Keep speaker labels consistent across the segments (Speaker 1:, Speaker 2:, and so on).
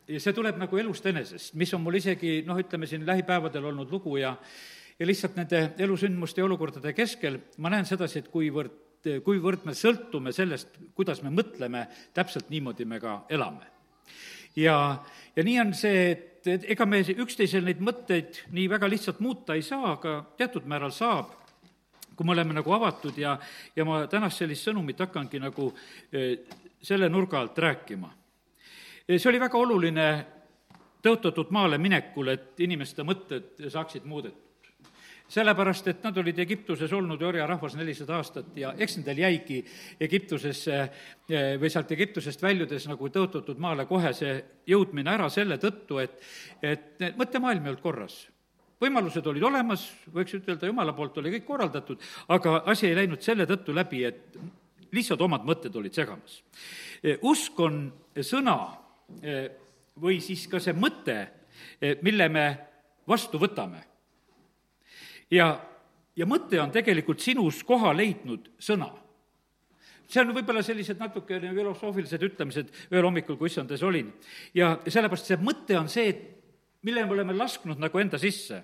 Speaker 1: ja see tuleb nagu elust enesest, mis on mul isegi, ütleme siin lähipäevadel olnud lugu ja lihtsalt nende elusündmuste ja olukordade keskel ma näen sedasi, et kuivõrd me sõltume sellest, kuidas me mõtleme, täpselt niimoodi me ka elame. Ja nii on see, et ega me üksteisel neid mõtteid nii väga lihtsalt muuta ei saa, aga teatud määral saab, kui me oleme nagu avatud ja ma tänast sellist sõnumit hakkangi nagu selle nurga alt rääkima. See oli väga oluline tõotatud maale minekul, et inimeste mõtted saaksid muudetud. Sellepärast, et nad olid Egiptuses olnud orjarahvas 400 aastat ja eks nendel jäigi Egiptusesse või sealt Egiptusest väljudes nagu tõotatud maale kohe see jõudmine ära selle tõttu, et mõttemaailm ei olnud korras. Võimalused olid olemas, võiks ütelda, Jumala poolt oli kõik korraldatud, aga asi ei läinud selle tõttu läbi, et lihtsalt omad mõtted olid segamas. Usk on sõna või siis ka see mõte, mille me vastu võtame. Ja mõte on tegelikult sinus koha leidnud sõna. See on võib-olla sellised natuke filosoofilised ütlemised ühel hommikul, kui issandes olin. Ja sellepärast see mõte on see, mille me oleme lasknud nagu enda sisse.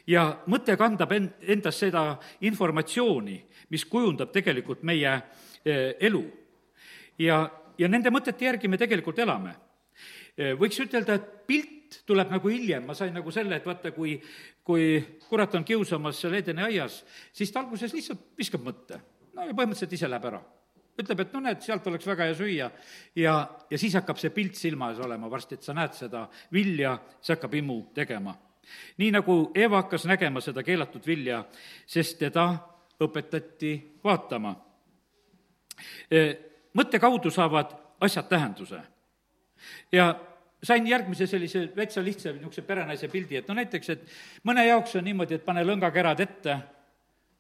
Speaker 1: Ja mõte kandab endas seda informatsiooni, mis kujundab tegelikult meie elu. Ja nende mõtete järgi me tegelikult elame. Võiks ütelda, et pilt tuleb nagu hiljem, ma sain nagu selle, et vaata, kui kurat on kiusamas seal Edeni aias, siis ta alguses lihtsalt viskab mõtte. Ja põhimõtteliselt ise läheb ära. Ütleb, et näed, sealt oleks väga hea süüa ja siis hakkab see pilt silma ees olema varsti, et sa näed seda vilja, see hakkab imu tegema. Nii nagu Eva hakkas nägema seda keelatud vilja, sest teda õpetati vaatama. Mõtte kaudu saavad asjad tähenduse. Ja sain järgmise sellise vetsa lihtsa niisuguse perenaise pildi, et näiteks, et mõne jaoks on niimoodi, et pane lõngakerad ette,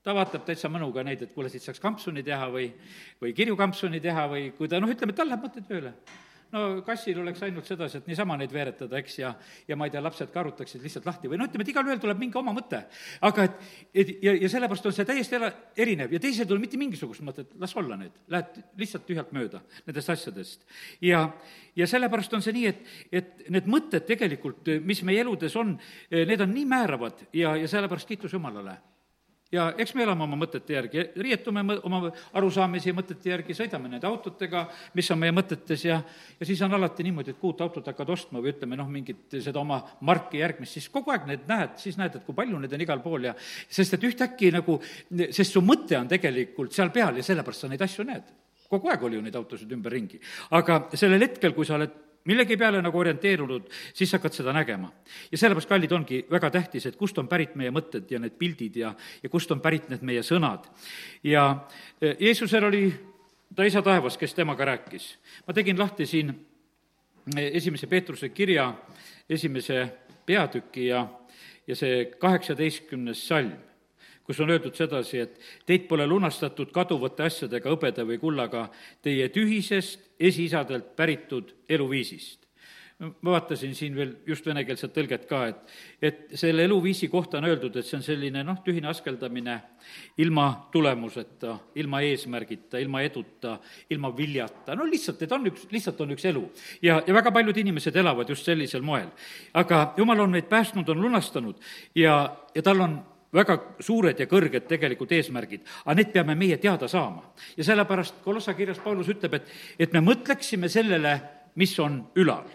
Speaker 1: ta vaatab täitsa mõnuga neid, et kuule, siit saaks kampsuni teha või kirjukampsuni teha või kui ta, ütleme, et tal läheb mõtted tööle. Kassil oleks ainult sedasi, et niisama neid veeretada, eks, ja ma ei tea, lapsed ka arutaksid lihtsalt lahti või ütleme, et igal ühel tuleb mingi oma mõte. Aga ja sellepärast on see täiesti erinev ja teised on mitte mingisugust mõtet, las olla need, lähed lihtsalt tühjalt mööda nendest asjadest. Ja sellepärast on see nii, et need mõtted tegelikult, mis meie eludes on, need on nii määravad ja sellepärast kiitus Jumalale. Ja eks me elame oma mõtete järgi, riietume oma arusaamisi ja mõtete järgi, sõidame nende autotega, mis on meie mõtetes ja siis on alati niimoodi, et kui uut autot hakkad ostma või ütleme, mingit seda oma marki järgmist, siis kogu aeg need näed, siis näed, et kui palju need on igal pool ja sest et ühtäkki nagu, sest su mõte on tegelikult seal peal ja sellepärast sa neid asju näed. Kogu aeg oli ju neid autosid ümber ringi. Aga sellel hetkel, kui sa oled millegi peale nagu orienteerunud, siis hakkad seda nägema. Ja sellepärast, kallid, ongi väga tähtis, et kust on pärit meie mõtted ja need pildid ja kust on pärit need meie sõnad. Ja Jeesusel oli ta isa taevas, kes temaga rääkis. Ma tegin lahti siin 1. Peetruse kirja 1. peatüki ja see 18. salm, kus on öeldud sedasi, et teid pole lunastatud kaduvate asjadega, hõbeda või kullaga, teie tühisest esiisadelt päritud eluviisist. Ma vaatasin siin veel just venekeelset tõlget ka, et selle eluviisi kohta on öeldud, et see on selline tühine askeldamine ilma tulemuseta, ilma eesmärgita, ilma eduta, ilma viljata. Lihtsalt, et lihtsalt on üks elu. Ja väga paljud inimesed elavad just sellisel moel. Aga Jumal on meid päästnud, on lunastanud ja tal on väga suured ja kõrged tegelikult eesmärgid, aga need peame meie teada saama. Ja sellepärast Kolossa kirjas Paulus ütleb, et me mõtleksime sellele, mis on ülal.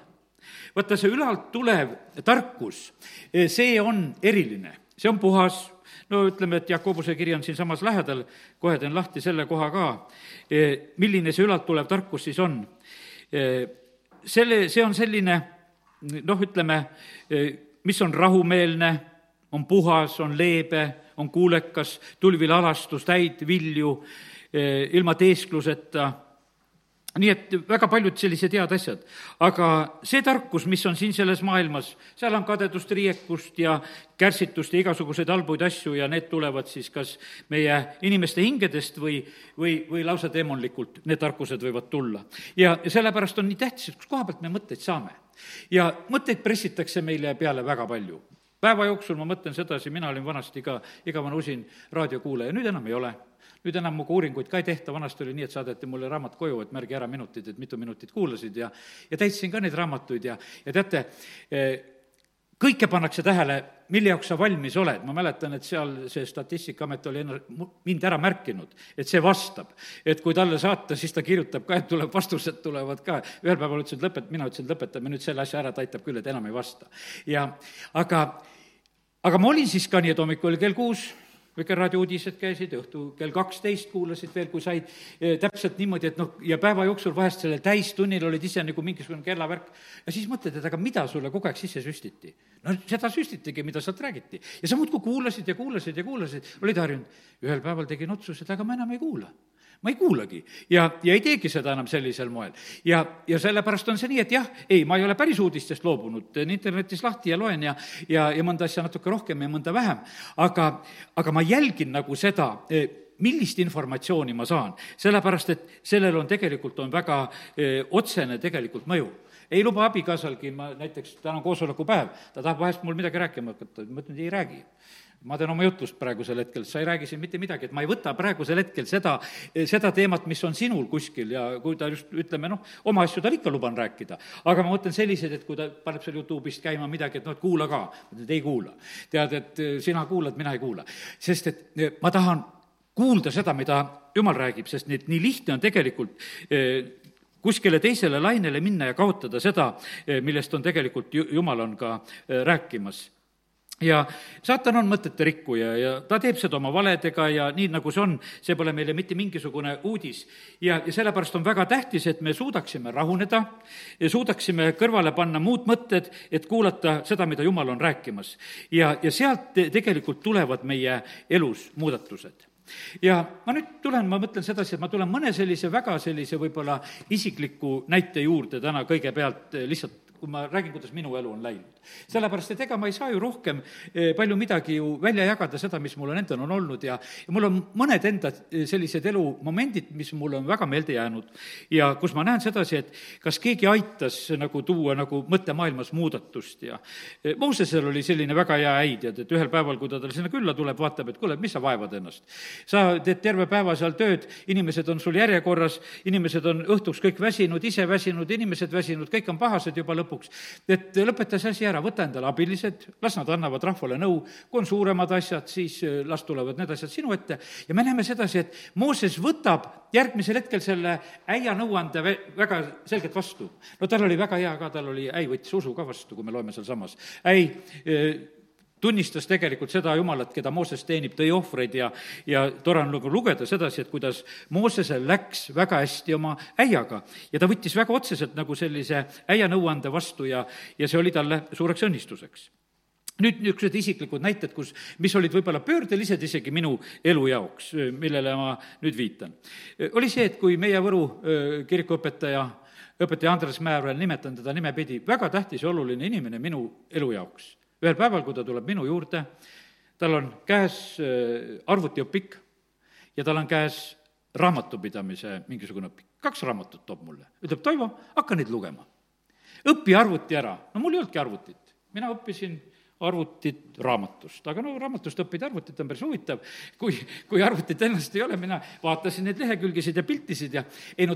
Speaker 1: Vaata, see ülalt tulev tarkus, see on eriline, see on puhas, ütleme, et Jakobuse kiri on siin samas lähedal, kohe teen lahti selle koha ka, milline see ülalt tulev tarkus siis on. See on selline, ütleme, mis on rahumeelne, on puhas, on leebe, on kuulekas, tulvil alastus, täid vilju, ilma teeskluseta. Nii et väga paljud sellised head asjad. Aga see tarkus, mis on siin selles maailmas, seal on kadedust, riiekust ja kärsitust ja igasuguseid halbuid asju ja need tulevad siis kas meie inimeste hingedest või lausa demonlikult need tarkused võivad tulla. Ja sellepärast on nii tähtis, et kus koha pealt me mõtteid saame. Ja mõtteid pressitakse meile peale väga palju. Päeva jooksul ma mõtlen sedasi, mina olin vanasti ka igavana usin raadiokuulaja, nüüd enam ei ole. nüüd enam muga uuringuid ka ei tehta, vanasti oli nii, et saadeti mulle raamat koju, et märgi ära minutid, et mitu minutit kuulasid ja täitsin ka neid raamatuid ja teate, kõike pannakse tähele, mille jaoks sa valmis oled. Ma mäletan, et seal see Statistikaamet oli mind ära märkinud, et see vastab. Et kui talle saata, siis ta kirjutab ka, et tuleb vastused tulevad ka. Ühel päeval ütlesin, et mina ütlesin, et lõpetame nüüd selle asja ära, ta aitab küll, et enam ei vasta. Aga ma olin siis ka nii, et hommikul kell 6 Vikerraadio uudised käisid, õhtu kell 12 kuulasid veel, kui said täpselt niimoodi, et ja päeva jooksul vahest sellel täistunnil olid ise nagu mingisugune kellavärk. Ja siis mõtled, et aga mida sulle kogu aeg sisse süstiti? No seda süstitigi, mida sealt räägiti. Ja sa muudkui kuulasid, olid harjunud. Ühel päeval tegin otsused, aga ma enam ei kuula. Ma ei kuulagi ja ei teegi seda enam sellisel moel. Ja sellepärast on see nii, et ma ei ole päris uudistest loobunud, teen internetis lahti ja loen ja mõnda asja natuke rohkem ja mõnda vähem, aga ma jälgin nagu seda, millist informatsiooni ma saan, sellepärast et sellel on tegelikult väga otsene tegelikult mõju. Ei luba abikaasalgi, ma näiteks täna koosolekupäev, ta tahab vahest mul midagi rääkima hakata, ma ütlen, ei räägi. Ma teen oma jutlust praegusel hetkel, sa ei räägi siin mitte midagi, et ma ei võta praegusel hetkel seda teemat, mis on sinul kuskil ja kui ta just, ütleme, oma asju tal ikka luban rääkida. Aga ma mõtlen sellised, et kui ta paneb seal YouTube'ist käima midagi, et et kuula ka, et ei kuula. Tead, et sina kuulad, mina ei kuula. Sest et ma tahan kuulda seda, mida Jumal räägib, sest nii lihtne on tegelikult kuskile teisele lainele minna ja kaotada seda, millest on tegelikult Jumal on ka rääkimas. Ja saatan on mõtete rikkuja ja ta teeb seda oma valedega ja nii nagu see on, see pole meile mitte mingisugune uudis. Ja sellepärast on väga tähtis, et me suudaksime rahuneda ja suudaksime kõrvale panna muud mõtted, et kuulata seda, mida Jumal on rääkimas. Ja sealt tegelikult tulevad meie elus muudatused. Ja ma mõtlen sedasi, et ma tulen mõne väga võib-olla isikliku näite juurde täna kõigepealt lihtsalt, kui ma räägin, kuidas minu elu on läinud. Sellepärast, et ega ma ei saa ju rohkem palju midagi ju välja jagada seda, mis mul on endal on olnud ja mul on mõned enda sellised elumomendid, mis mul on väga meelde jäänud ja kus ma näen sedasi, et kas keegi aitas nagu tuua nagu mõttemaailmas muudatust ja Moosesel oli selline väga hea äid, et ühel päeval, kui ta sinna külla tuleb, vaatab, et kuule, mis sa vaevad ennast. Sa teed terve päeva seal tööd, inimesed on sul järjekorras, inimesed on õhtuks kõik väsinud, ise väsinud, inimesed väsinud, kõik on pahased juba lõpuks. Et lõpeta see asi ära, võta endale abilised, las nad annavad rahvale nõu, kui on suuremad asjad, siis las tulevad need asjad sinu ette. Ja me näeme sedasi, et Mooses võtab järgmisel hetkel selle äia nõuande väga selgelt vastu. No tal oli väga hea ka, tal oli äi võttis usu ka vastu, kui me loeme seal samas. Tunnistas tegelikult seda Jumalat, keda Mooses teenib, tõi ohvreid ja tore on lugeda sedasi, et kuidas Moosesel läks väga hästi oma äiaga. Ja ta võttis väga otseselt nagu sellise äia nõuande vastu ja see oli talle suureks õnnistuseks. Nüüd niisugused isiklikud näited, mis olid võib-olla pöördelised isegi minu elu jaoks, millele ma nüüd viitan. Oli see, et kui meie Võru kirikuõpetaja Andres Määr, nimetan teda nimepidi, väga tähtis ja oluline inimene minu elu jaoks. Ühel päeval, kui ta tuleb minu juurde, tal on käes arvutiõpik ja tal on käes raamatupidamise mingisugune õpik. 2 raamatut toob mulle. Ütleb, Toivo, hakka neid lugema. Õpi arvuti ära. No mul ei olnudki arvutit. Mina õppisin arvutit raamatust. Aga raamatust õppida arvutit on päris huvitav. Kui arvutit ennast ei ole, mina vaatasin neid lehekülgesid ja piltisid ja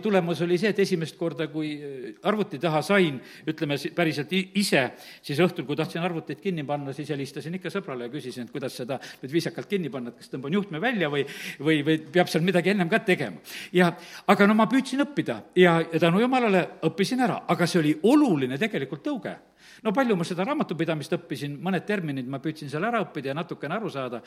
Speaker 1: tulemus oli see, et esimest korda, kui arvuti taha sain, ütleme päriselt ise, siis õhtul, kui tahtsin arvutit kinni panna, siis helistasin ikka sõbrale ja küsisin, et kuidas seda nüüd viisakalt kinni panna, et kas tõmban juhtme välja või peab seal midagi ennem ka tegema. Aga ma püüdsin õppida ja tänu Jumalale õppisin ära, aga see oli oluline tegelikult tõuge. No palju ma seda raamatupidamist õppisin, mõned terminid ma püüdsin seal ära õppida ja natukene aru saada,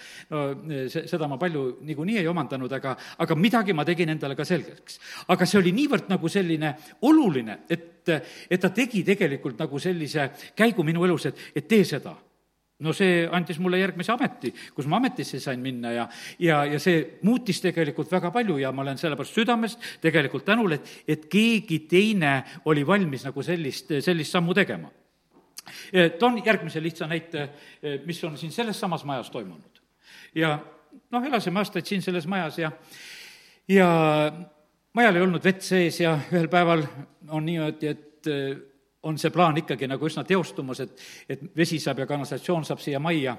Speaker 1: seda ma palju niikuinii ei omandanud, aga midagi ma tegin endale ka selgeks. Aga see oli niivõrd nagu selline oluline, et ta tegi tegelikult nagu sellise käigu minu elus, et tee seda. No see andis mulle järgmise ameti, kus ma ametisse sain minna ja see muutis tegelikult väga palju ja ma olen sellepärast südamest tegelikult tänul, et keegi teine oli valmis nagu sellist sammu tegema. Toon järgmise lihtsa näite, mis on siin selles samas majas toimunud. Ja elasime aastaid siin selles majas ja majal ei olnud vett sees ja ühel päeval on niimoodi, et on see plaan ikkagi nagu üsna teostumas, et vesi saab ja kanalisatsioon saab siia majja.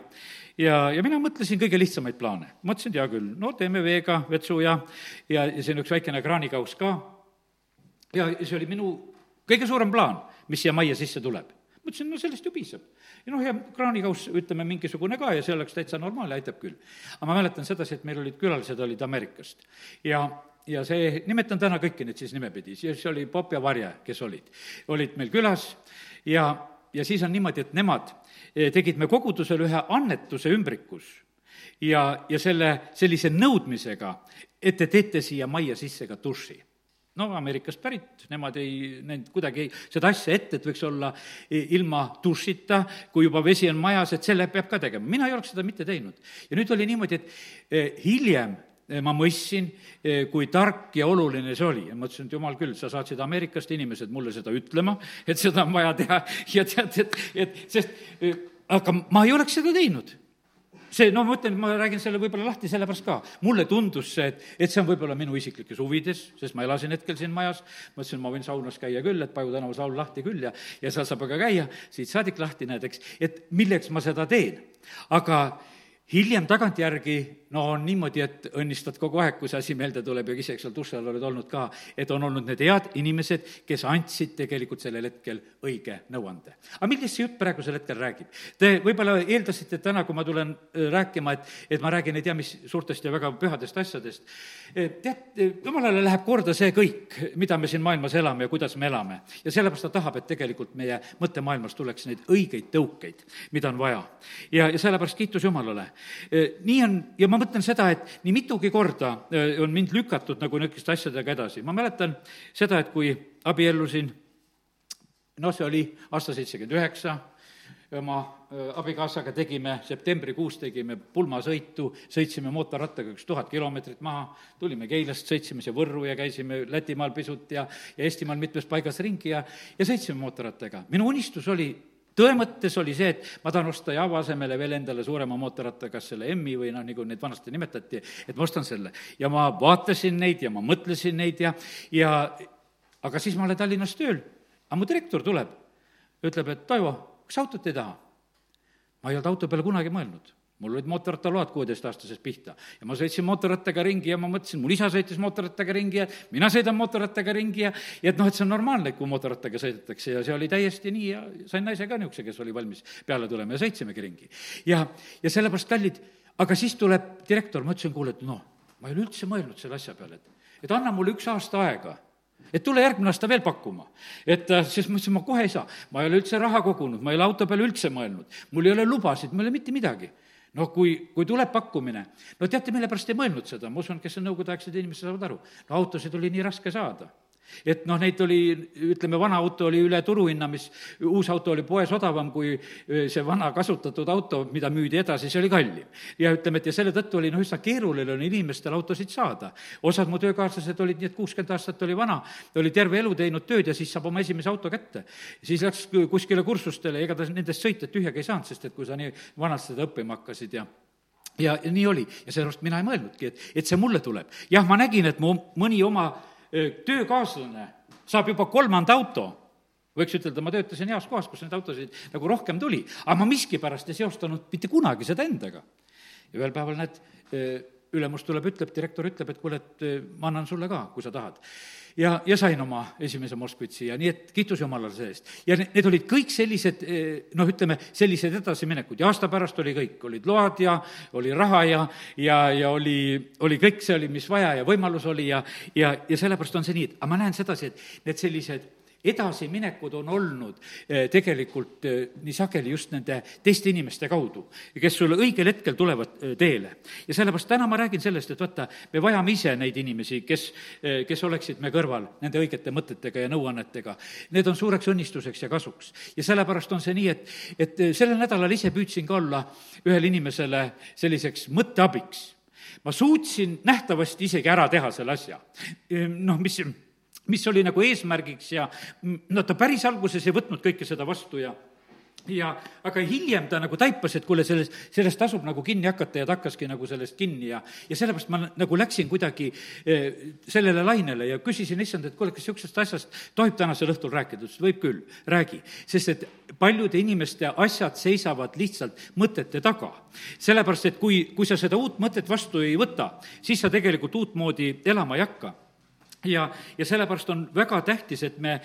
Speaker 1: Ja mina mõtlesin kõige lihtsamaid plaane. Mõtlesin, et hea küll, no teeme veega vetsu ja siin üks väikene kraanikaus ka. Ja see oli minu kõige suurem plaan, mis siia majja sisse tuleb. Mõtlesin, no sellest ju piisab. Ja kraanikaus, ütleme, mingisugune ka ja see oleks täitsa normaal ja aitab küll. Aga ma mäletan sedasi, et meil olid külalised, olid Ameerikast. Ja see, nimetan täna kõiki neid siis nimepidi, siis oli Pop ja Varje, kes olid meil külas ja siis on niimoodi, et nemad tegid me kogudusele ühe annetuse ümbrikus ja sellise nõudmisega, et te teete siia majja sisse ka duši. No Ameerikast pärit, nemad ei näinud kuidagi seda asja ette, et võiks olla ilma dušita, kui juba vesi on majas, et selle peab ka tegema. Mina ei oleks seda mitte teinud. Ja nüüd oli niimoodi, et hiljem ma mõistsin, kui tark ja oluline see oli. Ja ma ütlesin, et jumal küll, sa saatsid Ameerikast inimesed mulle seda ütlema, et seda on vaja teha ja tead, aga ma ei oleks seda teinud. See, ma mõtlen, ma räägin selle võib-olla lahti sellepärast ka. Mulle tundus see, et see on võib-olla minu isiklikes huvides, sest ma elasin hetkel siin majas, ma ütlesin, ma võin saunas käia küll, et Paju tänava saun lahti küll ja seal saab aga käia, siit saadik lahti näed, eks, et milleks ma seda teen. Aga hiljem tagantjärgi, on niimoodi, et õnnistad kogu aeg, kui see asi meelde tuleb ja isegi seal duši all oled olnud ka, et on olnud need head inimesed, kes andsid tegelikult sellel hetkel õige nõuande. Aga millest see jutt praegusel hetkel räägib? Te võib-olla eeldasite täna, kui ma tulen rääkima, et ma räägin ei tea mis suurtest ja väga pühadest asjadest. Tead, jumalale läheb korda see kõik, mida me siin maailmas elame ja kuidas me elame. Ja sellepärast ta tahab, et tegelikult meie mõttemaailmas tuleks neid õigeid tõukeid, mida on vaja. Ja sellepärast kiitus Jumalale. Nii on, ja ma mõtlen seda, et nii mitugi korda on mind lükatud nagu niisugust asjadega edasi. Ma mäletan seda, et kui abiellusin, see oli aasta 79, oma abikaasaga septembrikuus tegime pulmasõitu, sõitsime mootorrattaga 1000 kilomeetrit maha, tulime Keilast, sõitsime see Võrru ja käisime Lätimaal pisut ja Eestimaal mitmes paigas ringi ja sõitsime mootorrattaga. Minu unistus oli, tõe mõttes oli see, et ma tahan osta Java asemele veel endale suurema mootorratta, kas selle M-i või nagu neid vanasti nimetati, et ma ostan selle. Ja ma vaatasin neid ja ma mõtlesin neid aga siis ma olen Tallinnas tööl. Aga mu direktor tuleb, ütleb, et Toivo, kas autot ei taha? Ma ei olnud auto peale kunagi mõelnud. Mul olid mootorrattaload 16-aastasest pihta ja ma sõitsin mootorrattaga ringi ja ma mõtlesin, mul isa sõitis mootorrattaga ringi ja mina sõidan mootorrattaga ringi ja et see on normaalne, kui mootorrattaga sõidetakse ja see oli täiesti nii ja sain naise ka niisuguse, kes oli valmis peale tulema ja sõitsimegi ringi. Ja sellepärast kallid, aga siis tuleb direktor, ma ütlesin, kuule, et ma ei ole üldse mõelnud selle asja peale, et anna mulle 1 aasta aega, et tule järgmine aasta veel pakkuma. Siis ma ütlesin, ma kohe ei saa, ma ei ole üldse raha kogunud, ma ei ole auto peale üldse mõelnud, mul ei ole lubasid, mul ei ole mitte midagi. Kui tuleb pakkumine, teate, mille pärast ei mõelnud seda, ma usun, kes on nõukogudeaegsed inimesed saavad aru, autosid oli nii raske saada. Et neid oli, ütleme, vana auto oli üle turuhinna, mis uus auto oli poes odavam kui see vana kasutatud auto, mida müüdi edasi, see oli kallim. Ja ütleme, et selle tõttu oli üsna keeruline oli inimestel autosid saada. Osad mu töökaaslased olid nii, et 60 aastat oli vana, oli terve elu teinud tööd ja siis saab oma esimese auto kätte. Siis läks kuskile kursustele, ega ta nendest sõita tühjaga ei saanud, sest et kui sa nii vanalt seda õppima hakkasid ja nii oli. Ja sellepärast mina ei mõelnudki, et see mulle tuleb. Jah, ma nägin, et mu mõni oma töökaaslane saab juba 3. auto, võiks ütelda, ma töötasin heas kohas, kus neid autosid nagu rohkem tuli, aga ma miskipärast ei seostanud mitte kunagi seda endaga. Ja ühel päeval ülemus tuleb, direktor ütleb, et kuule, et ma annan sulle ka, kui sa tahad. Ja sain oma esimese Moskvitsi ja nii, et kiitus Jumalale see eest. Ja need olid kõik sellised, sellised edasiminekud ja aasta pärast oli kõik, olid load ja oli raha ja oli kõik see oli, mis vaja ja võimalus oli ja sellepärast on see nii, et aga ma näen sedasi, et need sellised edasiminekud on olnud tegelikult nii sageli just nende teiste inimeste kaudu, kes sulle õigel hetkel tulevad teele. Ja sellepärast täna ma räägin sellest, et vaata, me vajame ise neid inimesi, kes oleksid me kõrval nende õigete mõtetega ja nõuannetega. Need on suureks õnnistuseks ja kasuks. Ja sellepärast on see nii, et sellel nädalal ise püüdsin ka olla ühele inimesele selliseks mõtteabiks. Ma suutsin nähtavasti isegi ära teha selle asja. Mis oli nagu eesmärgiks ja ta päris alguses ei võtnud kõike seda vastu ja aga hiljem ta nagu taipas, et kuule, sellest tasub nagu kinni hakata ja ta hakkaski nagu sellest kinni ja sellepärast ma nagu läksin kuidagi sellele lainele ja küsisin issand, et kuule, kas niisugusest asjast tohib tänasel õhtul rääkida? Ütles, võib küll, räägi. Sest et paljude inimeste asjad seisavad lihtsalt mõtete taga. Sellepärast, et kui sa seda uut mõtet vastu ei võta, siis sa tegelikult uutmoodi elama ei hakka. Ja sellepärast on väga tähtis, et me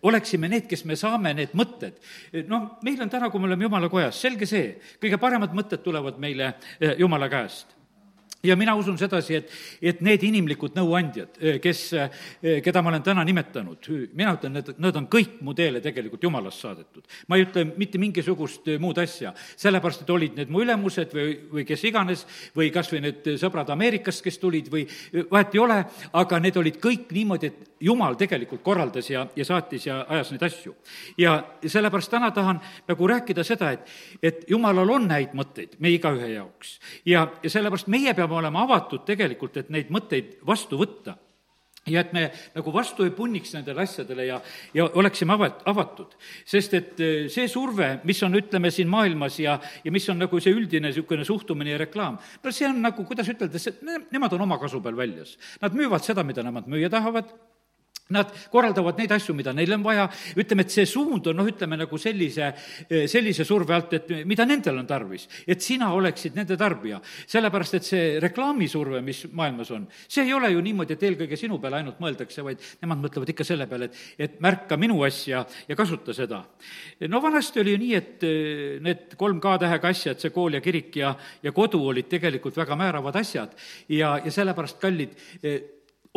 Speaker 1: oleksime need, kes me saame need mõtted. Meil on täna, kui me oleme Jumala kojas, selge see, kõige paremad mõtted tulevad meile Jumala käest. Ja mina usun sedasi, et need inimlikud nõuandjad, keda ma olen täna nimetanud, mina ütlen, et nad on kõik mu teele tegelikult Jumalast saadetud. Ma ei ütle mitte mingisugust muud asja, sellepärast, et olid need mu ülemused või kes iganes, või kas või need sõbrad Ameerikast, kes tulid või vahet ei ole, aga need olid kõik niimoodi, et Jumal tegelikult korraldas ja saatis ja ajas neid asju. Ja sellepärast täna tahan nagu rääkida seda, et Jumalal on häid mõtteid meie igaühe jaoks. Ja sellepärast meie peame olema avatud tegelikult, et neid mõtteid vastu võtta. Ja et me nagu vastu ei punniks nendele asjadele ja oleksime avatud. Sest et see surve, mis on, ütleme, siin maailmas ja mis on nagu see üldine niisugune suhtumine ja reklaam, see on nagu, kuidas ütelda, nemad on oma kasu peal väljas. Nad müüvad seda, mida nemad müüa tahavad. Nad korraldavad neid asju, mida neil on vaja, ütleme, et see suund on, ütleme, nagu sellise surve alt, et mida nendel on tarvis, et sina oleksid nende tarbija. Sellepärast, et see reklaamisurve, mis maailmas on, see ei ole ju niimoodi, et eelkõige sinu peale ainult mõeldakse, vaid nemad mõtlevad ikka selle peale, et märka minu asja ja kasuta seda. Vanasti oli ju nii, et need 3 K-tähega asjad, see kool ja kirik ja kodu olid tegelikult väga määravad asjad ja sellepärast kallid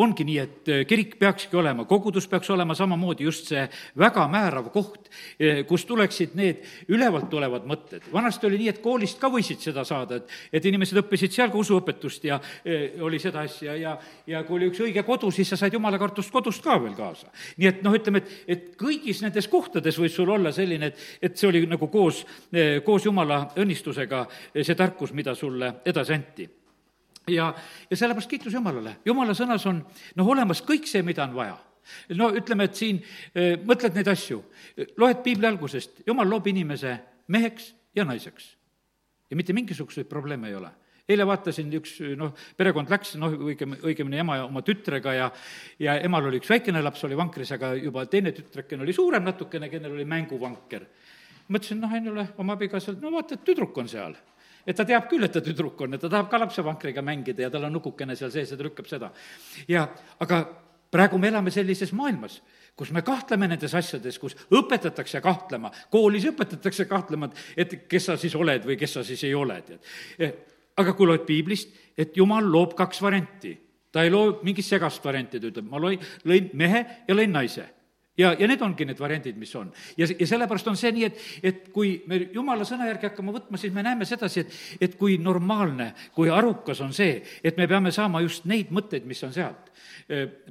Speaker 1: ongi nii, et kirik peakski olema, kogudus peaks olema samamoodi just see väga määrav koht, kus tuleksid need ülevalt tulevad mõtted. Vanasti oli nii, et koolist ka võisid seda saada, et inimesed õppisid seal ka usuõpetust ja oli seda asja ja kui oli üks õige kodu, siis sa said jumalakartust kodust ka veel kaasa. Nii et ütleme, et kõigis nendes kohtades võis sul olla selline, et see oli nagu koos Jumala õnnistusega see tarkus, mida sulle edasi anti. Ja sellepärast kiitus Jumalale. Jumala sõnas on olemas kõik see, mida on vaja. Ütleme, et siin mõtled neid asju. Loed piibli algusest. Jumal loob inimese meheks ja naiseks. Ja mitte mingisuguseid probleeme ei ole. Eile vaatasin üks, perekond läks, õigemini ema ja oma tütrega ja emal oli üks väikene laps, oli vankris, aga juba teine tütrekken oli suurem natukene, kellel oli mänguvanker. Mõtlesin, Ainule oma abikaasalt, vaata, et tüdruk on seal. Et ta teab küll, et ta tüdruk on, et ta tahab ka lapsevankriga mängida ja tal on nukukene seal sees ja ta lükkab seda. Aga praegu me elame sellises maailmas, kus me kahtleme nendes asjades, kus õpetatakse kahtlema, koolis õpetatakse kahtlema, et kes sa siis oled või kes sa siis ei ole. Aga kui loed piiblist, et Jumal loob 2 varianti, ta ei loo mingit segast varianti, ta ütleb, ma lõin mehe ja lõin naise. Ja need ongi need variandid, mis on. Ja sellepärast on see nii, et kui me Jumala sõna järgi hakkama võtma, siis me näeme sedasi, et kui normaalne, kui arukas on see, et me peame saama just neid mõtteid, mis on sealt.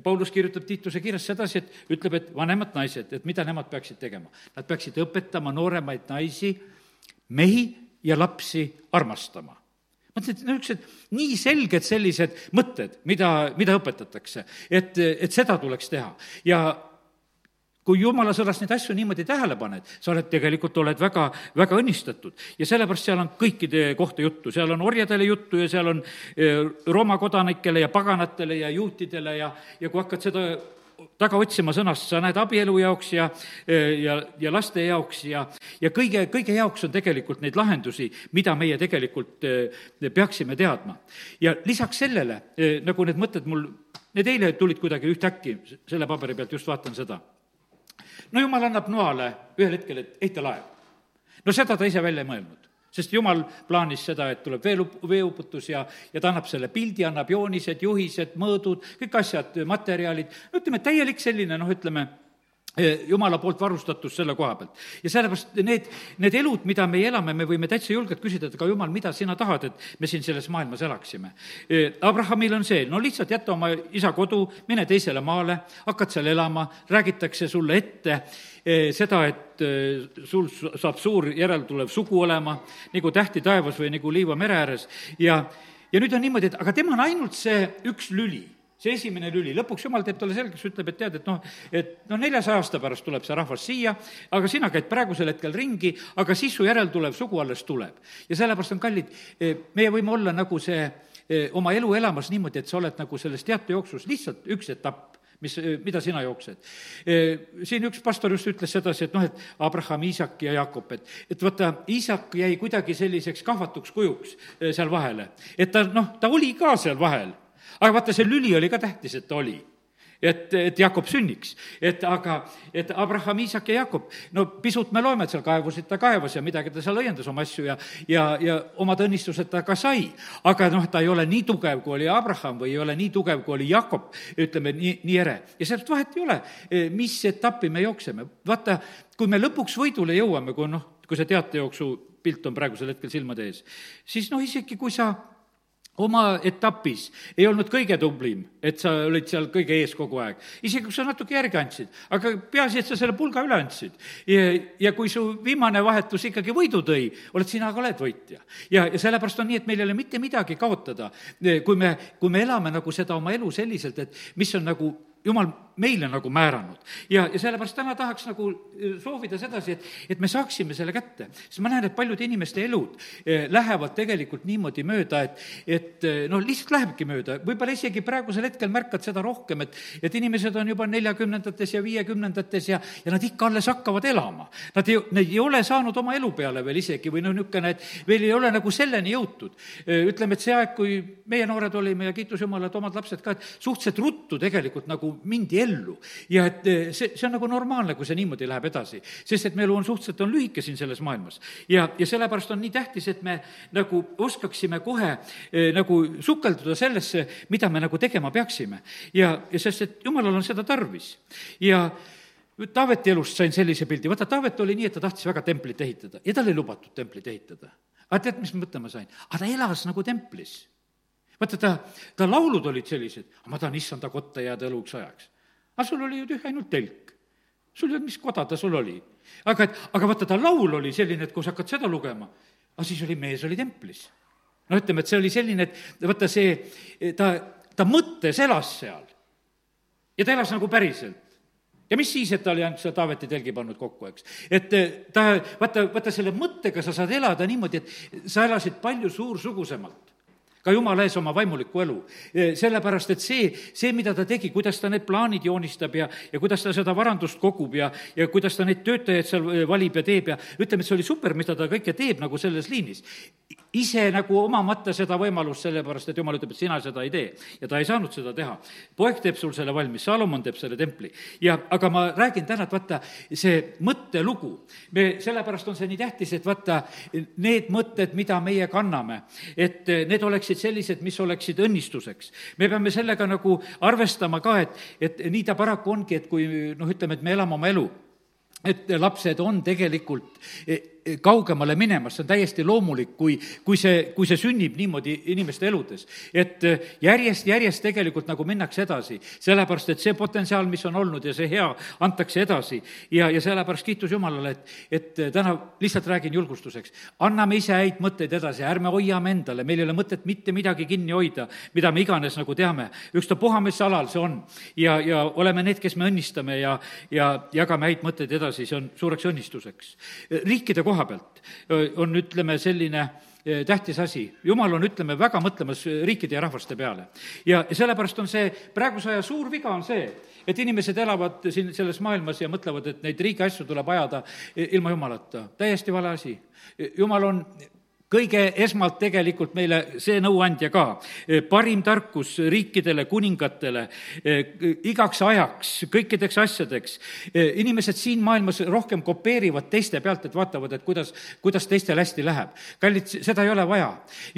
Speaker 1: Paulus kirjutab Tiituse kirjas sedasi, et ütleb, et vanemad naised, et mida nemad peaksid tegema. Nad peaksid õpetama nooremaid naisi, mehi ja lapsi armastama. Mõtlen, et nii selged sellised mõtted, mida õpetatakse, et seda tuleks teha. Ja kui Jumala sõnast neid asju niimoodi tähele paned, sa tegelikult oled väga, väga õnnistatud. Ja sellepärast seal on kõikide kohta juttu. Seal on orjadele juttu ja seal on Rooma kodanikele ja paganatele ja juutidele ja kui hakkad seda taga otsima sõnast, sa näed abielu jaoks ja laste jaoks ja kõige jaoks on tegelikult neid lahendusi, mida meie tegelikult peaksime teadma. Ja lisaks sellele, nagu need mõtted need eile tulid kuidagi ühtäkki, selle paberi pealt just vaatan seda. Jumal annab Noale ühel hetkel, et ehita laev. Seda ta ise välja ei mõelnud, sest Jumal plaanis seda, et tuleb veeuputus ja ta annab selle pildi, annab joonised, juhised, mõõdud, kõik asjad, materjalid, ütleme, täielik selline, Jumala poolt varustatus selle koha pealt. Ja sellepärast need elud, mida me elame, me võime täitsa julgelt küsida, et aga Jumal, mida sina tahad, et me siin selles maailmas elaksime. Abrahamil on see, lihtsalt jätta oma isa kodu, mine teisele maale, hakkad seal elama, räägitakse sulle ette seda, et sul saab suur järeltulev sugu olema, nagu tähti taevas või nagu liiva mere ääres. Ja nüüd on niimoodi, et aga tema on ainult see üks lüli. see esimene lüli, lõpuks jumal teeb talle selgeks, ütleb, et tead, et 400 aasta pärast tuleb see rahvas siia, aga sina käid praegusel hetkel ringi, aga siis su järeltulev sugu alles tuleb. Ja sellepärast on kallid, meie võime olla nagu see oma elu elamas niimoodi, et sa oled nagu selles teatejooksus lihtsalt üks etapp, mida sina jooksed. Siin üks pastor just ütles sedasi, et Abraham, Iisak ja Jakob, et vaata, Iisak jäi kuidagi selliseks kahvatuks kujuks seal vahele. Et ta oli ka seal vahel, aga vaata, see lüli oli ka tähtis, et ta oli. Et Jakob sünniks. Et Abraham, Iisak ja Jakob, pisut me loeme, et seal kaevusid ta kaevas ja midagi ta seal õiendas oma asju ja omad õnnistused ta ka sai. Aga ta ei ole nii tugev, kui oli Abraham või ei ole nii tugev, kui oli Jakob, ütleme, nii ere. Ja sellest vahet ei ole, mis etappi me jookseme. Vaata, kui me lõpuks võidule jõuame, kui see teatejooksu pilt on praegusel hetkel silmade ees, siis isegi kui sa oma etapis ei olnud kõige tublim, et sa olid seal kõige ees kogu aeg. Isegi kui sa natuke järgi andsid, aga peaasi, et sa selle pulga üle andsid. Ja kui su viimane vahetus ikkagi võidu tõi, oled sina ka oled võitja. Ja sellepärast on nii, et meil ei ole mitte midagi kaotada, kui me elame nagu seda oma elu selliselt, et mis on nagu Jumal meile nagu määranud. Ja sellepärast täna tahaks nagu soovida sedasi, et me saaksime selle kätte. Sest ma näen, et paljude inimeste elud lähevad tegelikult niimoodi mööda, et lihtsalt lähebki mööda. Võib-olla isegi praegusel hetkel märkad seda rohkem, et inimesed on juba 40-ndates ja 50-ndates ja nad ikka alles hakkavad elama. Nad ei ole saanud oma elu peale veel isegi või niisugune, et veel ei ole nagu selleni jõutud. Ütleme, et see aeg, kui meie noored olime ja kiitus Jumala, et omad lapsed ka, et suhteliselt ruttu tegelikult nagu mindi ellu. Ja et see on nagu normaalne, kui see niimoodi läheb edasi. Sest et meil on suhteliselt lühike siin selles maailmas. Ja sellepärast on nii tähtis, et me nagu oskaksime kohe nagu sukelduda sellesse, mida me nagu tegema peaksime. Ja sest, et Jumalal on seda tarvis. Ja Taaveti elust sain sellise pildi. Vaata, Taavet oli nii, et ta tahtis väga templit ehitada. Ja tal ei lubatud templit ehitada. Aga tead, mis mõtlema sain? Aga ta elas nagu templis. Vaata, ta laulud olid sellised, ma tahan issanda kotta jääda eluks ajaks. Aga sul oli ju tühja ainult telk. Sul ei olnud, mis koda ta sul oli. Aga vaata, ta laul oli selline, et kui sa hakkad seda lugema, aga siis oli mees, oli templis. Ütleme, et see oli selline, et vaata ta mõttes elas seal. Ja ta elas nagu päriselt. Ja mis siis, et ta oli ainult seda Taaveti telgi pannud kokku, eks? Et vaata selle mõttega sa saad elada niimoodi, et sa elasid palju suursugusemalt. Ka Jumala ees oma vaimulikku elu. Sellepärast, et see, mida ta tegi, kuidas ta need plaanid joonistab ja kuidas ta seda varandust kogub ja kuidas ta neid töötajaid seal valib ja teeb ja ütleme, et see oli super, mida ta kõike teeb nagu selles liinis. Ise nagu omamata seda võimalust, sellepärast, et Jumal ütleb, et sina seda ei tee. Ja ta ei saanud seda teha. Poeg teeb sul selle valmis, Salomon teeb selle templi. Aga ma räägin täna, et vaata, see mõttelugu. Sellepärast on see nii tähtis, et vaata, need mõtted, mida meie kanname, et need oleksid sellised, mis oleksid õnnistuseks. Me peame sellega nagu arvestama ka, et nii ta paraku ongi, et kui ütleme, et me elame oma elu, et lapsed on tegelikult kaugemale minemas, see on täiesti loomulik, kui see sünnib niimoodi inimeste eludes. Et järjest tegelikult nagu minnakse edasi, sellepärast, et see potentsiaal, mis on olnud ja see hea, antakse edasi. Ja sellepärast kiitus Jumalale, et täna lihtsalt räägin julgustuseks. Anname ise häid mõtteid edasi, ärme hoiame endale, meil ei ole mõtet mitte midagi kinni hoida, mida me iganes nagu teame. Ükstapuha, mis alal see on. Ja oleme need, kes me õnnistame ja jagame häid mõtteid edasi, see on suureks õnnistuseks. Riikide koha pealt on, ütleme, selline tähtis asi. Jumal on, ütleme, väga mõtlemas riikide ja rahvaste peale. Ja sellepärast on see, praeguse aja suur viga on see, et inimesed elavad siin selles maailmas ja mõtlevad, et neid riigi asju tuleb ajada ilma Jumalata. Täiesti vale asi. Jumal on kõige esmalt tegelikult meile see nõuandja ka. Parim tarkus riikidele, kuningatele, igaks ajaks, kõikideks asjadeks. Inimesed siin maailmas rohkem kopeerivad teiste pealt, et vaatavad, et kuidas teistel hästi läheb. Kallid, seda ei ole vaja.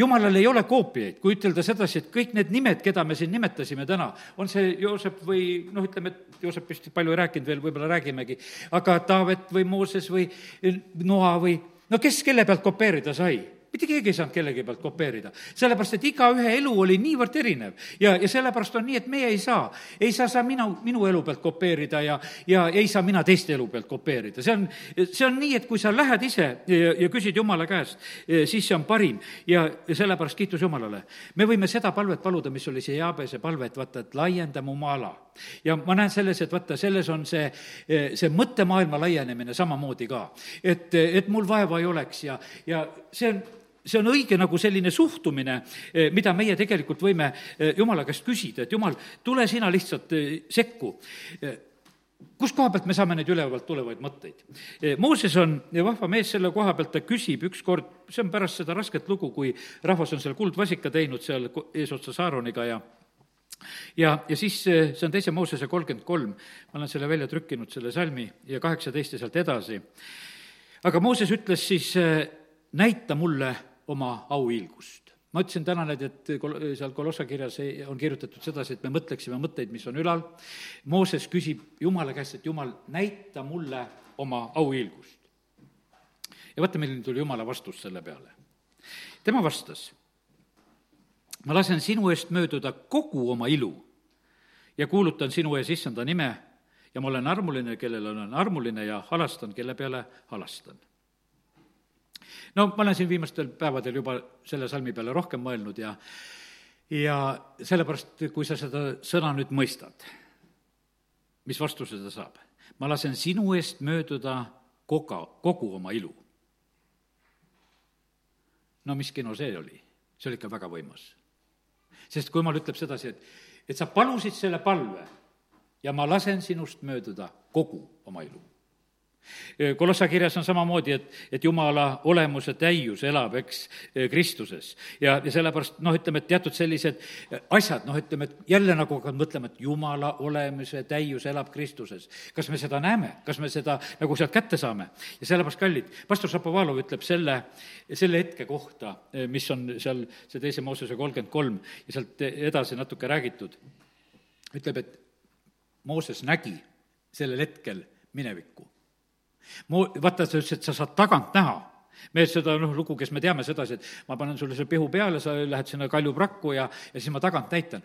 Speaker 1: Jumalal ei ole koopiaid, kui ütelda sedasi, et kõik need nimed, keda me siin nimetasime täna, on see Joosep või ütleme, et Joosepist palju ei rääkinud veel, võib-olla räägimegi, aga Taavet või Mooses või Noa või kes kelle pealt kopeerida sai? mitte keegi ei saanud kellegi pealt kopeerida, sellepärast et igaühe elu oli niivõrd erinev ja sellepärast on nii, et meie ei saa sa minu elu pealt kopeerida ja ei saa mina teiste elu pealt kopeerida. See on nii, et kui sa lähed ise ja küsid Jumala käest, siis see on parim ja sellepärast kiitus Jumalale. Me võime seda palvet paluda, mis oli see Jaabese palve, et vaata, et laienda mu maa-ala. Ja ma näen selles, et vaata, selles on see mõttemaailma laienemine samamoodi ka, et mul vaeva ei oleks ja see on õige nagu selline suhtumine, mida meie tegelikult võime Jumala käest küsida, et Jumal, tule sina lihtsalt sekku. Kus koha pealt me saame neid ülevalt tulevaid mõtteid? Mooses on vahva mees selle koha pealt, ta küsib ükskord, see on pärast seda rasket lugu, kui rahvas on seal kuldvasika teinud seal eesotsas Aaroniga ja siis see on 2. Moosese 33, ma olen selle välja trükkinud, selle salmi ja 18 ja sealt edasi. Aga Mooses ütles siis, näita mulle oma auhiilgust. Ma ütlesin täna need, et seal Kolossa kirjas on kirjutatud sedasi, et me mõtleksime mõtteid, mis on ülal. Mooses küsib Jumala käest, et Jumal, näita mulle oma auhiilgust. Ja vaata, milline tuli Jumala vastus selle peale. Tema vastas, ma lasen sinu eest mööduda kogu oma ilu ja kuulutan sinu ees issanda nime ja ma olen armuline, kellele olen armuline ja halastan, kelle peale halastan. No ma olen siin viimastel päevadel juba selle salmi peale rohkem mõelnud ja sellepärast, kui sa seda sõna nüüd mõistad, mis vastuse ta saab? Ma lasen sinu eest mööduda kogu oma ilu. No mis kino see oli? See oli ikka väga võimas. Sest kui Jumal ütleb sedasi, et sa palusid selle palve ja ma lasen sinust mööduda kogu oma ilu. Kolossa kirjas on samamoodi, et Jumala olemuse täius elab, Kristuses. Ja sellepärast, ütleme, et teatud sellised asjad, ütleme, et jälle nagu mõtleme, et Jumala olemuse täius elab Kristuses. Kas me seda näeme? Kas me seda nagu sealt kätte saame? Ja sellepärast, kallid, pastor Šapovalov ütleb selle hetke kohta, mis on seal see 2. Moosese 33 ja sealt edasi natuke räägitud, ütleb, et Mooses nägi sellel hetkel minevikku. Vaata, sa ütles, et sa saad tagant näha. Me seda lugu, kes me teame sedasi, et ma panen sulle selle pihu peale, sa lähed sinna kaljuprakku ja siis ma tagant näitan.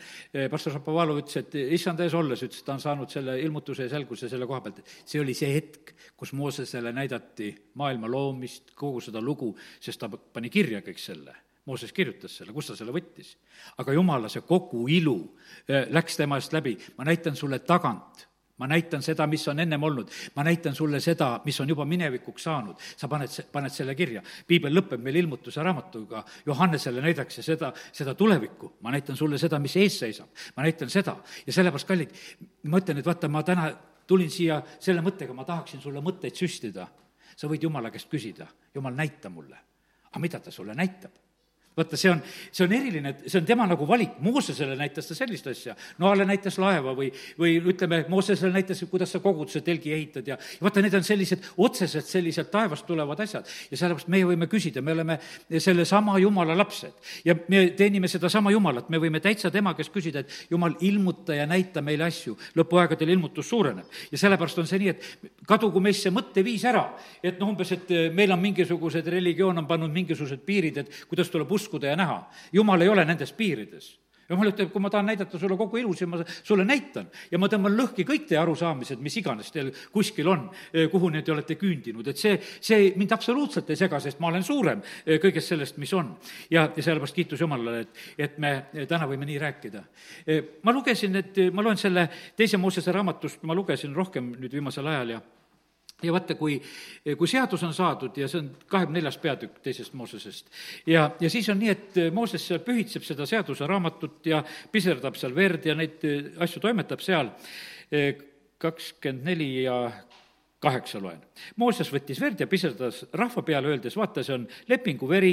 Speaker 1: Pastor Šapovalov ütles, et issand ees olles, ütles, et ta on saanud selle ilmutuse ja selguse selle koha pealt. See oli see hetk, kus Moosesele näidati maailma loomist, kogu seda lugu, sest ta pani kirja kõik selle. Mooses kirjutas selle, kus ta selle võttis. Aga Jumala see kogu ilu läks tema eest läbi. Ma näitan sulle tagant. Ma näitan seda, mis on ennem olnud. Ma näitan sulle seda, mis on juba minevikuks saanud. Sa paned selle kirja. Piibel lõpeb meil ilmutuse raamatuga. Johannesele näidakse seda tulevikku. Ma näitan sulle seda, mis ees seisab. Ma näitan seda. Ja sellepärast, kallid, ma ütlen, et vaata, ma täna tulin siia selle mõttega, ma tahaksin sulle mõtteid süstida. Sa võid Jumala käest küsida. Jumal, näita mulle. Aga mida ta sulle näitab? Vaata, see on eriline, see on tema nagu valik. Moosesele näitas ta sellist asja. Noale näitas laeva või ütleme, Moosesele näitas, kuidas sa koguduse telgi ehitad ja vaata, need on sellised otseselt sellised taevast tulevad asjad. Ja sellepärast meie võime küsida, me oleme selle sama Jumala lapsed ja me teenime seda sama Jumalat. Me võime täitsa tema kes küsida, et Jumal, ilmuta ja näita meile asju. Lõpuaegadel ilmutus suureneb. Ja sellepärast on see nii, et kadugu meisse mõtteviis ära. Et umbes, et meil on mingisugused religioon on pannud mingisugused piirid, et kuidas tuleb uskuda ja näha. Jumal ei ole nendes piirides. Jumal ütleb, kui ma tahan näidata sulle kogu ilu, siis ma sulle näitan. Ja ma tõmban lõhki kõik teie arusaamised, mis iganes teil kuskil on, kuhu need te olete küündinud. Et see mind absoluutselt ei sega, sest ma olen suurem kõigest sellest, mis on. Ja sellepärast kiitus Jumalale, et me täna võime nii rääkida. Ma loen selle 2. Moosese raamatust, ma lugesin rohkem nüüd viimasel ajal ja vaata, kui seadus on saadud ja see on 24. peatükk 2. Moosesest ja siis on nii, et Mooses seal pühitseb seda seaduse raamatut ja piserdab seal verd ja neid asju toimetab seal 24 ja 8 loen. Mooses võttis verd ja piserdas rahva peale, öeldes, vaata, see on lepingu veri,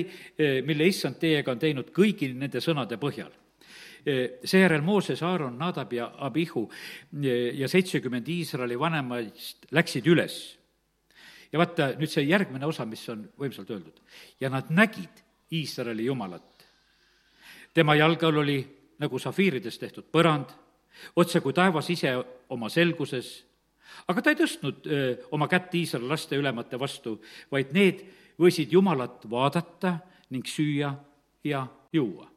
Speaker 1: mille issand teiega on teinud kõigi nende sõnade põhjal. Seejärel Mooses, Aaron, Nadab ja Abihu ja 70 Iisraeli vanemaist läksid üles. Ja vaata nüüd see järgmine osa, mis on võimsalt öeldud. Ja nad nägid Iisraeli Jumalat. Tema jalgal oli nagu safiiridest tehtud põrand, otse kui taevas ise oma selguses, aga ta ei tõstnud oma kätt Iisraeli laste ülemate vastu, vaid need võisid Jumalat vaadata ning süüa ja juua.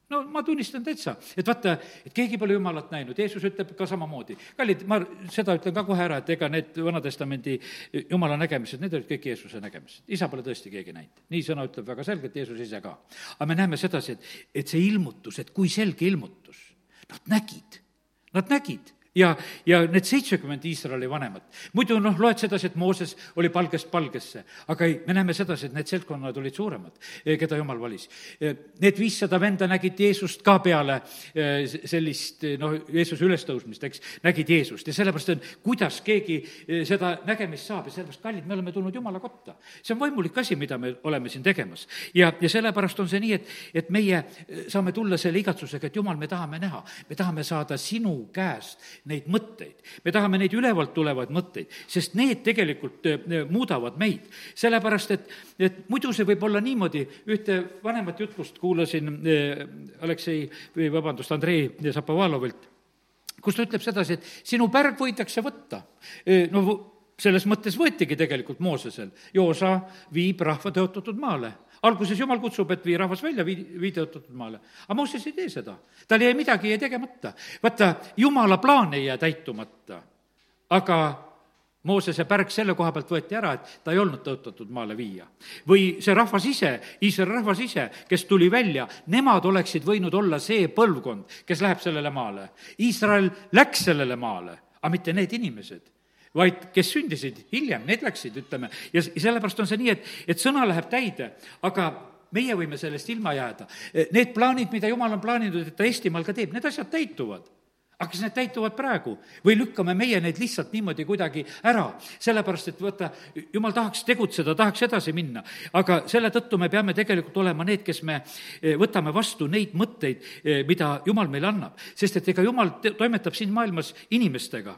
Speaker 1: No ma tunnistan täitsa, et vaata, et keegi pole Jumalat näinud, Jeesus ütleb ka samamoodi. Kallid, ma seda ütlen ka kohe ära, et ega need Vana-testamendi Jumala nägemised, need olid kõik Jeesuse nägemised. Isa pole tõesti keegi näinud. Nii sõna ütleb väga selgelt, Jeesus ise ka. Aga me näeme sedasi, et see ilmutus, et kui selge ilmutus, nad nägid. Ja need 70 Iisraeli vanemat. Muidu loed sedasi, et Mooses oli palgest palgesse, aga ei, me näeme sedasi, et need seltkonnad olid suuremad, keda Jumal valis. Need 500 venda nägid Jeesust ka peale sellist, Jeesuse ülestõusmist, eks, nägid Jeesust. Ja sellepärast on, kuidas keegi seda nägemist saab ja sellepärast, kallid, me oleme tulnud Jumala kotta. See on vaimulik asi, mida me oleme siin tegemas. Ja sellepärast on see nii, et meie saame tulla selle igatsusega, et Jumal, me tahame näha, me tahame saada sinu käest neid mõtteid. Me tahame neid ülevalt tulevaid mõtteid, sest need tegelikult muudavad meid. Sellepärast, et muidu see võib olla niimoodi, ühte vanemat jutlust kuulasin Andrei Zapovalovilt, kus ta ütleb sedasi, et sinu pärg võidakse võtta. Selles mõttes võetigi tegelikult Moosesel. Joosa viib rahva tõotatud maale. Alguses Jumal kutsub, et vii rahvas välja, vii tõotatud maale. Aga Mooses ei tee seda. Tal jäi midagi tegemata. Vaata, Jumala plaan ei jää täitumata. Aga Moosese pärg selle koha pealt võeti ära, et ta ei olnud tõotatud maale viia. Või see rahvas ise, Iisraeli rahvas ise, kes tuli välja, nemad oleksid võinud olla see põlvkond, kes läheb sellele maale. Iisrael läks sellele maale, aga mitte need inimesed, vaid kes sündisid hiljem, need läksid, ütleme. Ja sellepärast on see nii, et sõna läheb täide, aga meie võime sellest ilma jääda. Need plaanid, mida Jumal on plaaninud, et ta Eestimaal ka teeb, need asjad täituvad. Aga kas need täituvad praegu või lükkame meie neid lihtsalt niimoodi kuidagi ära? Sellepärast, et võtta, Jumal tahaks tegutseda, tahaks edasi minna, aga selle tõttu me peame tegelikult olema need, kes me võtame vastu neid mõtteid, mida Jumal meile annab. Sest et ega Jumal toimetab siin maailmas inimestega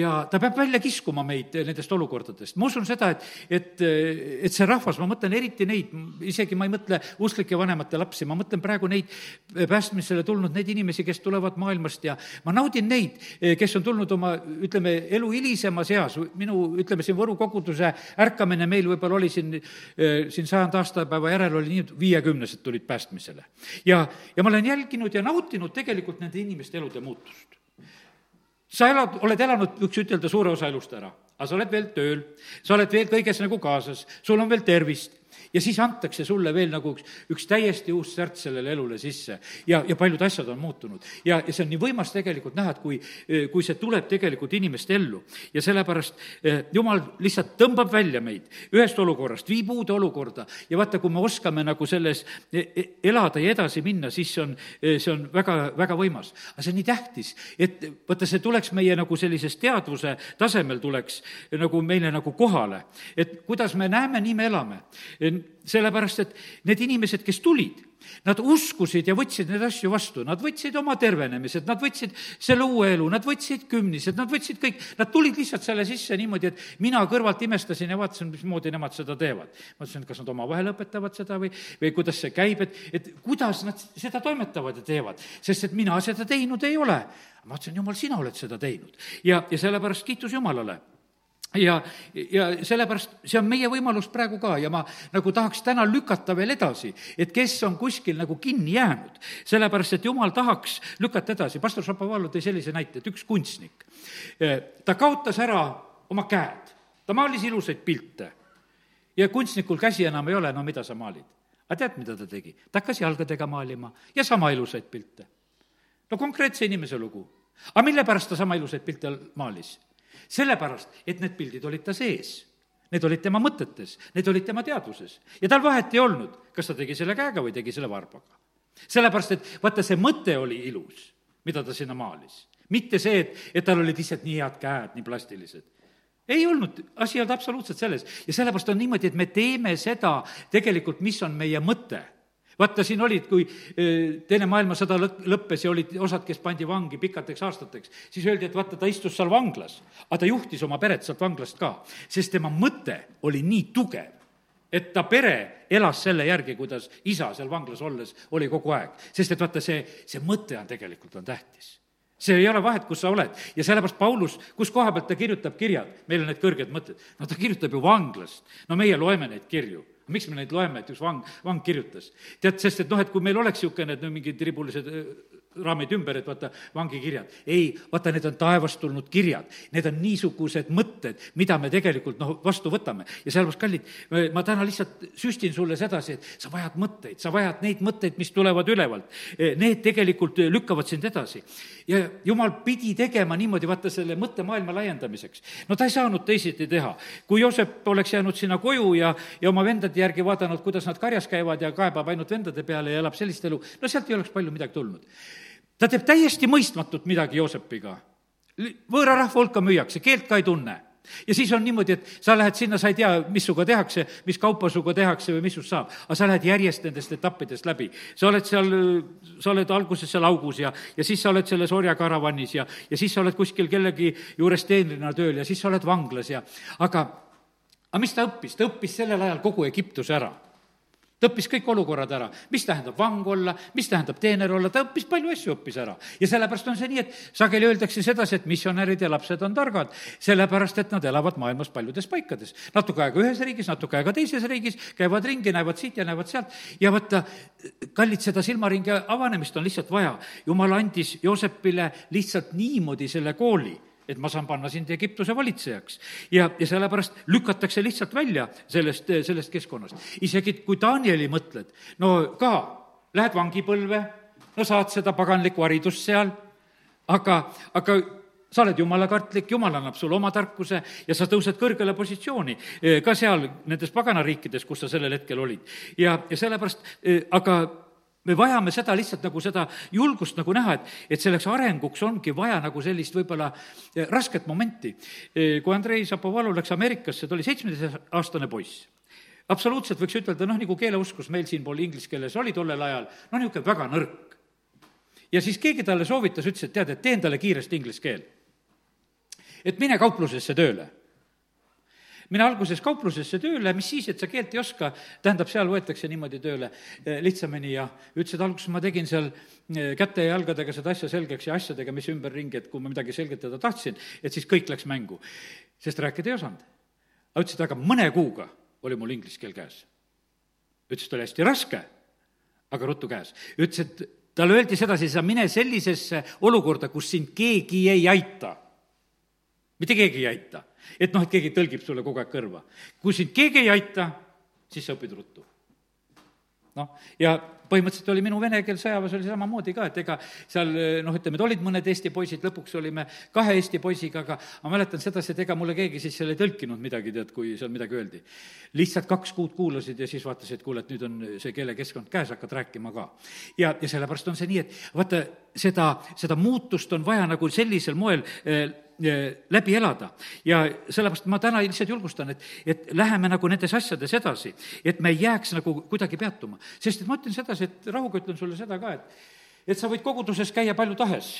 Speaker 1: ja ta peab välja kiskuma meid nendest olukordadest. Ma usun seda, et see rahvas, ma mõtlen eriti neid, isegi ma ei mõtle usklike vanemate lapsi, ma mõtlen praegu neid päästmisele tulnud, neid inimesi, kes tulevad maailmast ja ma naudin neid, kes on tulnud oma, ütleme, elu hilisemas eas. Minu, ütleme, siin Võru koguduse ärkamine meil võib-olla oli siin 100 aastapäeva järel oli nii, 50 tulid päästmisele. Ja ma olen jälginud ja nautinud tegelikult nende inimeste elude muutust. Sa oled elanud, võiks ütelda, suure osa elust ära, aga sa oled veel tööl, sa oled veel kõiges nagu kaasas, sul on veel tervist. Ja siis antakse sulle veel nagu üks täiesti uus särts sellele elule sisse ja paljud asjad on muutunud. Ja see on nii võimas tegelikult näha, et kui see tuleb tegelikult inimeste ellu. Ja sellepärast Jumal lihtsalt tõmbab välja meid ühest olukorrast, viib uude olukorda. Ja vaata, kui me oskame nagu selles elada ja edasi minna, siis see on väga, väga võimas. Aga see on nii tähtis, et vaata, see tuleks meie nagu sellises teadvuse tasemel tuleks nagu meile nagu kohale. Et kuidas me näeme, nii me elame. Sellepärast, et need inimesed, kes tulid, nad uskusid ja võtsid need asju vastu, nad võtsid oma tervenemised, nad võtsid selle uue elu, nad võtsid kümnised, nad võtsid kõik, nad tulid lihtsalt selle sisse niimoodi, et mina kõrvalt imestasin ja vaatasin, mismoodi nemad seda teevad. Ma ütlesin, kas nad omavahel õpetavad seda või kuidas see käib, et kuidas nad seda toimetavad ja teevad, sest et mina seda teinud ei ole. Ma ütlesin, Jumal, sina oled seda teinud ja sellepärast kiitus Jumalale. Ja sellepärast see on meie võimalus praegu ka ja ma nagu tahaks täna lükata veel edasi, et kes on kuskil nagu kinni jäänud, sellepärast, et Jumal tahaks lükata edasi. Pastor Šapovalov tõi sellise näite, et üks kunstnik, ta kaotas ära oma käed, ta maalis ilusaid pilte ja kunstnikul käsi enam ei ole, no mida sa maalid? Aga tead, mida ta tegi? Ta hakkas jalgadega maalima ja sama ilusaid pilte. No konkreetse inimese lugu. Aga mille pärast ta sama ilusaid pilte maalis? Sellepärast, et need pildid olid ta sees. Need olid tema mõtetes, need olid tema teadvuses. Ja tal vahet ei olnud, kas ta tegi selle käega või tegi selle varbaga. Sellepärast, et vaata, see mõte oli ilus, mida ta sinna maalis. Mitte see, et tal olid lihtsalt nii head käed, nii plastilised. Ei olnud, asi ei olnud absoluutselt selles. Ja sellepärast on niimoodi, et me teeme seda tegelikult, mis on meie mõte. Vaata, siin olid, kui teine maailmasõda lõppes ja olid osad, kes pandi vangi pikateks aastateks, siis öeldi, et vaata, ta istus seal vanglas, aga ta juhtis oma peret sealt vanglast ka, sest tema mõte oli nii tugev, et ta pere elas selle järgi, kuidas isa seal vanglas olles oli kogu aeg. Sest et vaata, see mõte on tegelikult on tähtis. See ei ole vahet, kus sa oled. Ja sellepärast Paulus, kus koha pealt ta kirjutab kirjad, meil on need kõrged mõtted. No ta kirjutab ju vanglast. No meie loeme neid kirju. miks me neid loeme, et üks vang kirjutas? Tead, sest et et kui meil oleks niisugune, et mingid ribulised raamid ümber, et vaata, vangikirjad. Ei, vaata, need on taevast tulnud kirjad. Need on niisugused mõtted, mida me tegelikult vastu võtame. Ja sellepärast, kallid, ma täna lihtsalt süstin sulle sedasi, et sa vajad mõtteid, sa vajad neid mõtteid, mis tulevad ülevalt. Need tegelikult lükkavad sind edasi. Ja Jumal pidi tegema niimoodi, vaata, selle mõttemaailma laiendamiseks. No ta ei saanud teisiti teha. Kui Joosep oleks jäänud sinna koju ja oma vendade järgi vaadanud, kuidas nad karjas käivad ja kaebab ainult vendade peale ja elab sellist elu, no sealt ei oleks palju midagi tulnud. Ta teeb täiesti mõistmatut midagi Joosepiga. Võõra rahva hulka müüakse, keelt ka ei tunne. Ja siis on niimoodi, et sa lähed sinna, sa ei tea, mis suga tehakse, mis kaupa suga tehakse või mis sust saab. Aga sa lähed järjest nendest etappidest läbi. Sa oled alguses seal augus ja siis sa oled selles orjakaravanis ja siis sa oled kuskil kellegi juures teenrina tööl ja siis sa oled vanglas aga mis ta õppis? Ta õppis sellel ajal kogu Egiptuse ära. Ta õppis kõik olukorrad ära, mis tähendab vang olla, mis tähendab teener olla, ta õppis palju asju õppis ära. Ja sellepärast on see nii, et sageli öeldakse sedasi, et missionärid ja lapsed on targad, sellepärast, et nad elavad maailmas paljudes paikades. Natuke aega ühes riigis, natuke aega teises riigis, käivad ringi, näevad siit ja näevad sealt. Ja võtta, kallid, seda silmaringi avanemist on lihtsalt vaja. Jumal andis Joosepile lihtsalt niimoodi selle kooli, et ma saan panna sind Egiptuse valitsejaks. Ja sellepärast lükatakse lihtsalt välja sellest keskkonnast. Isegi kui Danieli mõtled, no ka, lähed vangipõlve, no saad seda paganlikku haridust seal, aga sa oled jumalakartlik, Jumal annab sulle oma tarkuse ja sa tõused kõrgele positsiooni ka seal nendes paganariikides, kus sa sellel hetkel olid. Ja sellepärast, aga me vajame seda lihtsalt nagu seda julgust nagu näha, et selleks arenguks ongi vaja nagu sellist võib-olla rasket momenti. Kui Andrei Zapovalov läks Ameerikasse, ta oli 17-aastane poiss. Absoluutselt võiks ütelda, nagu keeleuskus meil siin pool inglise keeles oli tollel ajal, niisugune väga nõrk. Ja siis keegi talle soovitas, ütles, et tead, et teen talle kiiresti inglise keel. Et mine kauplusesse tööle. Mine alguses kauplusesse tööle, mis siis, et sa keelt ei oska, tähendab, seal võetakse niimoodi tööle lihtsamini ja ütles, et alguses ma tegin seal käte ja jalgadega seda asja selgeks ja asjadega, mis ümberringi, et kui ma midagi selgitada tahtsin, et siis kõik läks mängu. Sest rääkida ei osanud. Ütles, et aga mõne kuuga oli mul inglise keel käes. Ütles, et oli hästi raske, aga ruttu käes. Ütles, et talle öeldi sedasi, sa mine sellisesse olukorda, kus sind keegi ei aita. Mitte keegi ei aita. Et keegi tõlgib sulle kogu aeg kõrva. Kui sind keegi ei aita, siis sa õpid ruttu. Ja põhimõtteliselt oli minu vene keel sõjaväes oli samamoodi ka, et ega seal, olid mõned Eesti poisid, lõpuks olime 2 Eesti poisiga, aga ma mäletan sedasi, et ega mulle keegi siis seal ei tõlkinud midagi, tead, kui seal midagi öeldi. Lihtsalt 2 kuud kuulasid ja siis vaatasid, et kuule, et nüüd on see keelekeskkond käes, hakkad rääkima ka. Ja sellepärast on see nii, et vaata, seda muutust on vaja nagu sellisel moel läbi elada. Ja sellepärast ma täna lihtsalt julgustan, et läheme nagu nendes asjades edasi, et me ei jääks nagu kuidagi peatuma. Sest et ma ütlen sedasi, et rahuga ütlen sulle seda ka, et sa võid koguduses käia palju tahes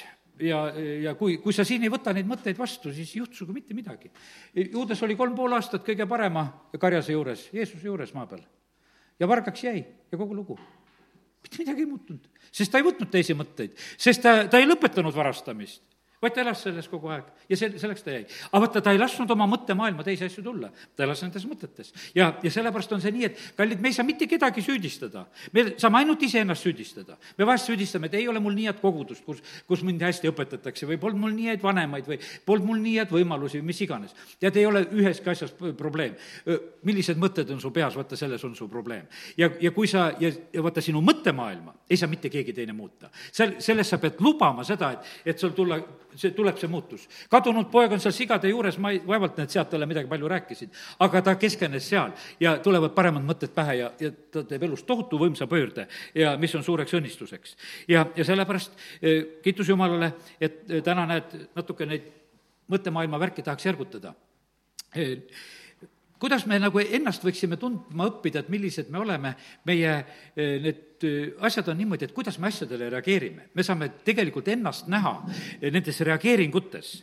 Speaker 1: ja kui sa siin ei võta neid mõtteid vastu, siis juhtusuga mitte midagi. Juudas oli 3,5 aastat kõige parema karjase juures, Jeesuse juures maa peal. Ja vargaks jäi ja kogu lugu. Mitte midagi ei muutunud, sest ta ei võtnud teisi mõtteid, sest ta ei lõpetanud varastamist. Vaid ta elas selles kogu aeg ja selleks ta jäi. Aga võtta, ta ei lasknud oma mõttemaailma teisi asju tulla. Ta elas nendes mõtetes. Ja sellepärast on see nii, et kallid, me ei saa mitte kedagi süüdistada. Me saame ainult iseennast süüdistada. Me vahest süüdistame, et ei ole mul nii head kogudust, kus mind hästi õpetatakse või polnud mul nii head vanemaid või polnud mul nii head võimalusi või mis iganes. Tead, ei ole üheski asjas probleem. Millised mõtted on su peas, vaata, selles on su probleem. Ja kui sa, ja vaata, sinu mõttemaailma ei saa mitte keegi teine muuta. Selles sa pead lubama seda, et sul tuleb see muutus. Kadunud poeg on seal sigade juures, ma vaevalt need sealt talle midagi palju rääkisid, aga ta keskenes seal ja tulevad paremad mõtted pähe ja ta teeb elus tohutu võimsa pöörde ja mis on suureks õnnistuseks. Ja sellepärast kiitus Jumalale, et täna näed natuke neid mõttemaailma värki tahaks järgutada. Kuidas me nagu ennast võiksime tundma õppida, et millised me oleme, meie need asjad on niimoodi, et kuidas me asjadele reageerime. Me saame tegelikult ennast näha nendes reageeringutes.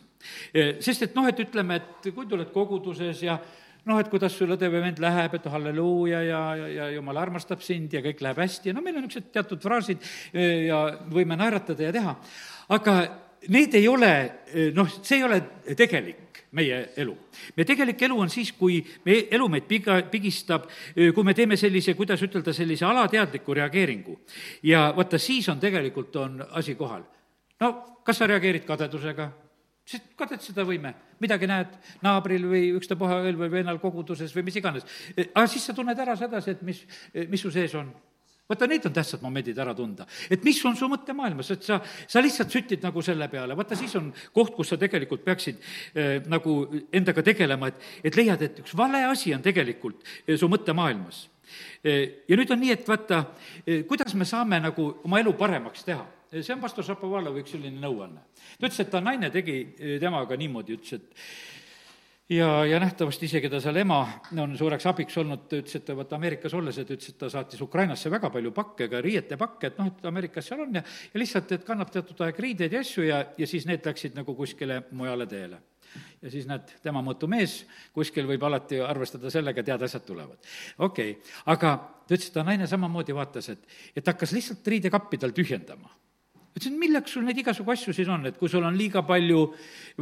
Speaker 1: Sest et et ütleme, et kui tuled koguduses ja et kuidas sul õde või vend läheb, et halleluuja ja Jumal armastab sind ja kõik läheb hästi ja meil on niisugused teatud fraasid ja võime naeratada ja teha. Aga need ei ole, see ei ole tegelik meie elu. meie tegelik elu on siis, kui meie elu meid pigistab, kui me teeme sellise, kuidas ütelda, sellise alateadliku reageeringu. Ja vaata, siis on tegelikult on asi kohal. No kas sa reageerid kadedusega? Sest kadetseda võime, midagi näed naabril või ükstapuha õel või vennal koguduses või mis iganes. Aga siis sa tunned ära sedasi, et mis su sees on. Vaata, need on tähtsad momendid ära tunda. Et mis on su mõttemaailmas, et sa lihtsalt sütid nagu selle peale. Vaata, siis on koht, kus sa tegelikult peaksid nagu endaga tegelema, et leiad, et üks vale asi on tegelikult su mõttemaailmas. Ja nüüd on nii, et vaata, kuidas me saame nagu oma elu paremaks teha. See on pastor Šapovalov üks selline nõuanne. Ta ütles, et ta naine tegi temaga niimoodi, ütles, et ja nähtavasti isegi ta seal ema on suureks abiks olnud, ta ütles, et ta vaata Ameerikas olles, et ütles, et ta saatis Ukrainasse väga palju pakke, ka riietepakke, et et Ameerikas seal on ja lihtsalt, et kannab teatud aeg riideid ja asju ja siis need läksid nagu kuskile mujale teele. Ja siis näed, tema mõõtu mees, kuskil võib alati arvestada sellega, tead, asjad tulevad. Okei, aga ta ütles, et ta naine samamoodi vaatas, et hakkas lihtsalt riidekappi tal tühjendama. Ütlesin, milleks sul neid igasugu asju siis on, et kui sul on liiga palju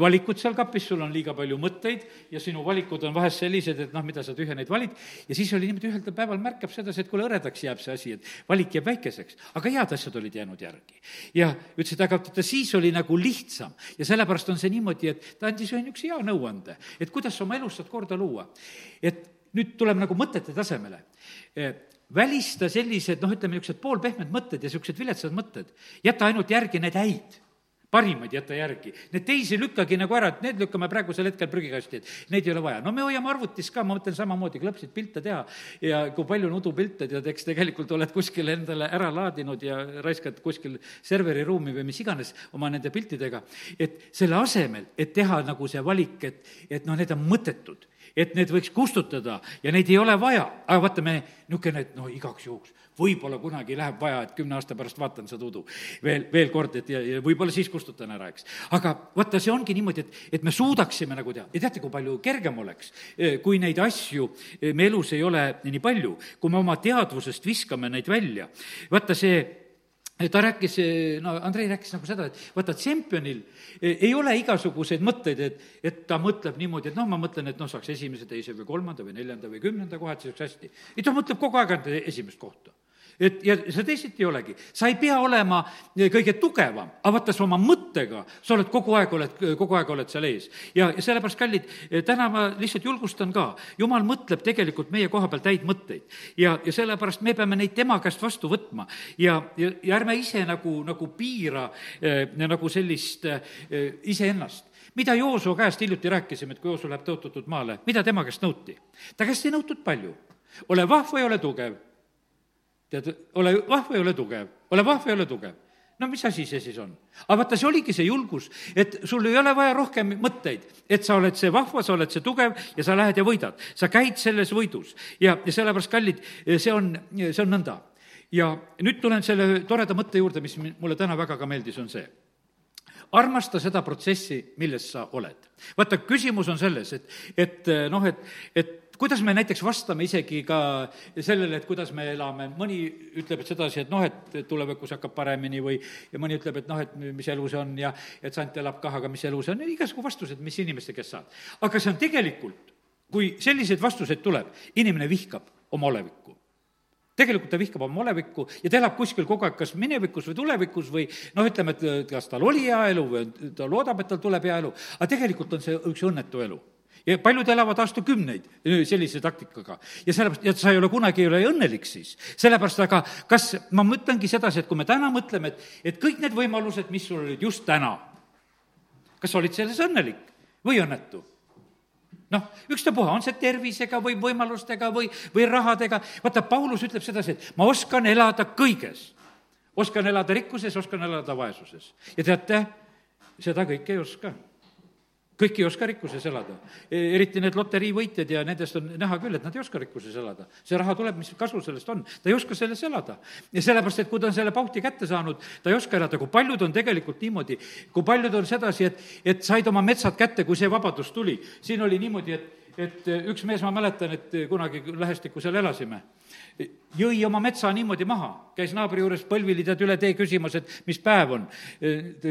Speaker 1: valikut seal kapis, sul on liiga palju mõtteid ja sinu valikud on vahest sellised, et mida sa tühja neid valid, ja siis oli niimoodi ühel päeval märkab sedasi, et kuule, hõredaks jääb see asi, et valik jääb väikeseks, aga head asjad olid jäänud järgi. Ja ütles, et aga siis oli nagu lihtsam ja sellepärast on see niimoodi, et ta andis ühe üks hea nõuande, et kuidas sa oma elus saad korda luua. Et nüüd tuleme nagu mõtete tasemele. Välista sellised, ütleme, niisugused poolpehmed mõtted ja niisugused viletsad mõtted. Jäta ainult järgi need häid, parimaid jäta järgi. Need teisi lükkagi nagu ära, et need lükkame praegusel hetkel prügikasti, et neid ei ole vaja. Me hoiame arvutis ka, ma mõtlen samamoodi, klõpsid pilte teha ja kui palju on udupilte, tead, eks tegelikult oled kuskil endale ära laadinud ja raiskad kuskil serveri ruumi või mis iganes oma nende piltidega. Et selle asemel, et teha nagu see valik, et need on mõttetud, et need võiks kustutada ja neid ei ole vaja. Aga vaata, me niisugune, et igaks juhuks, võib-olla kunagi läheb vaja, et 10 aasta pärast vaatan seda udu veel kord, et ja võib-olla siis kustutan ära, eks. Aga vaata, see ongi niimoodi, et me suudaksime nagu teha. Ja teate, kui palju kergem oleks, kui neid asju me elus ei ole nii palju, kui me oma teadvusest viskame neid välja. Vaata, ta rääkis, Andrei rääkis nagu seda, et vaata, tšempionil ei ole igasuguseid mõtteid, et ta mõtleb niimoodi, et ma mõtlen, et saaks esimese, teise või kolmanda või neljanda või 10. kohad, see oleks hästi. Ja ta mõtleb kogu aeg esimest kohta. Ja see teisiti ei olegi. Sa ei pea olema kõige tugevam, aga vaata, sa oma mõttega, sa oled kogu aeg oled seal ees. Ja sellepärast, kallid, täna ma lihtsalt julgustan ka. Jumal mõtleb tegelikult meie koha pealt häid mõtteid. Ja sellepärast me peame neid tema käest vastu võtma. Ja ärme ise nagu piira nagu sellist iseennast. Mida Joosu käest hiljuti rääkisime, et kui Joosu läheb tõotatud maale, mida tema käest nõuti? Ta käest ei nõutud palju. Ole vahva ja ole tugev. Tead, ole vahva ja ole tugev, ole vahva ja ole tugev. Mis asi see siis on? Aga vaata, see oligi see julgus, et sul ei ole vaja rohkem mõtteid, et sa oled see vahva, sa oled see tugev ja sa lähed ja võidad. Sa käid selles võidus ja sellepärast, kallid, see on nõnda. Ja nüüd tulen selle toreda mõtte juurde, mis mulle täna väga ka meeldis, on see. Armasta seda protsessi, milles sa oled. Vaata, küsimus on selles, et kuidas me näiteks vastame isegi ka sellele, et kuidas me elame. Mõni ütleb, et sedasi, et tulevikus hakkab paremini või ja mõni ütleb, et mis elu see on ja et sant elab kah, aga mis elu see on. Igasugu vastused, mis inimeste kes saad. Aga see on tegelikult, kui selliseid vastuseid tuleb, inimene vihkab oma olevikku. Tegelikult ta vihkab oma olevikku ja ta elab kuskil kogu aeg kas minevikus või tulevikus või ütleme, et kas tal oli hea elu või ta loodab, et tal tuleb hea elu. Aga tegelikult on see üks õnnetu elu. Ja paljud elavad aastakümneid sellise taktikaga. Ja sellepärast, et sa ei ole kunagi õnnelik siis. Sellepärast, aga kas ma mõtlengi sedasi, et kui me täna mõtleme, et kõik need võimalused, mis sul olid just täna, kas olid selles õnnelik või õnnetu? Ükstapuha, on see tervisega või võimalustega või rahadega. Vaata, Paulus ütleb sedasi, et ma oskan elada kõiges. Oskan elada rikkuses, oskan elada vaesuses. Ja teate, seda kõike ei oska. Kõik ei oska rikkuses elada. Eriti need loteriivõitjad ja nendest on näha küll, et nad ei oska rikkuses elada. See raha tuleb, mis kasu sellest on. Ta ei oska selles elada. Ja sellepärast, et kui ta on selle pauhti kätte saanud, ta ei oska elada. Kui paljud on tegelikult niimoodi, kui paljud on sedasi, et said oma metsad kätte, kui see vabadus tuli. Siin oli niimoodi, et üks mees, ma mäletan, et kunagi Lähestikku seal elasime, jõi oma metsa niimoodi maha, käis naabri juures põlvili tead üle tee küsimas, et mis päev on,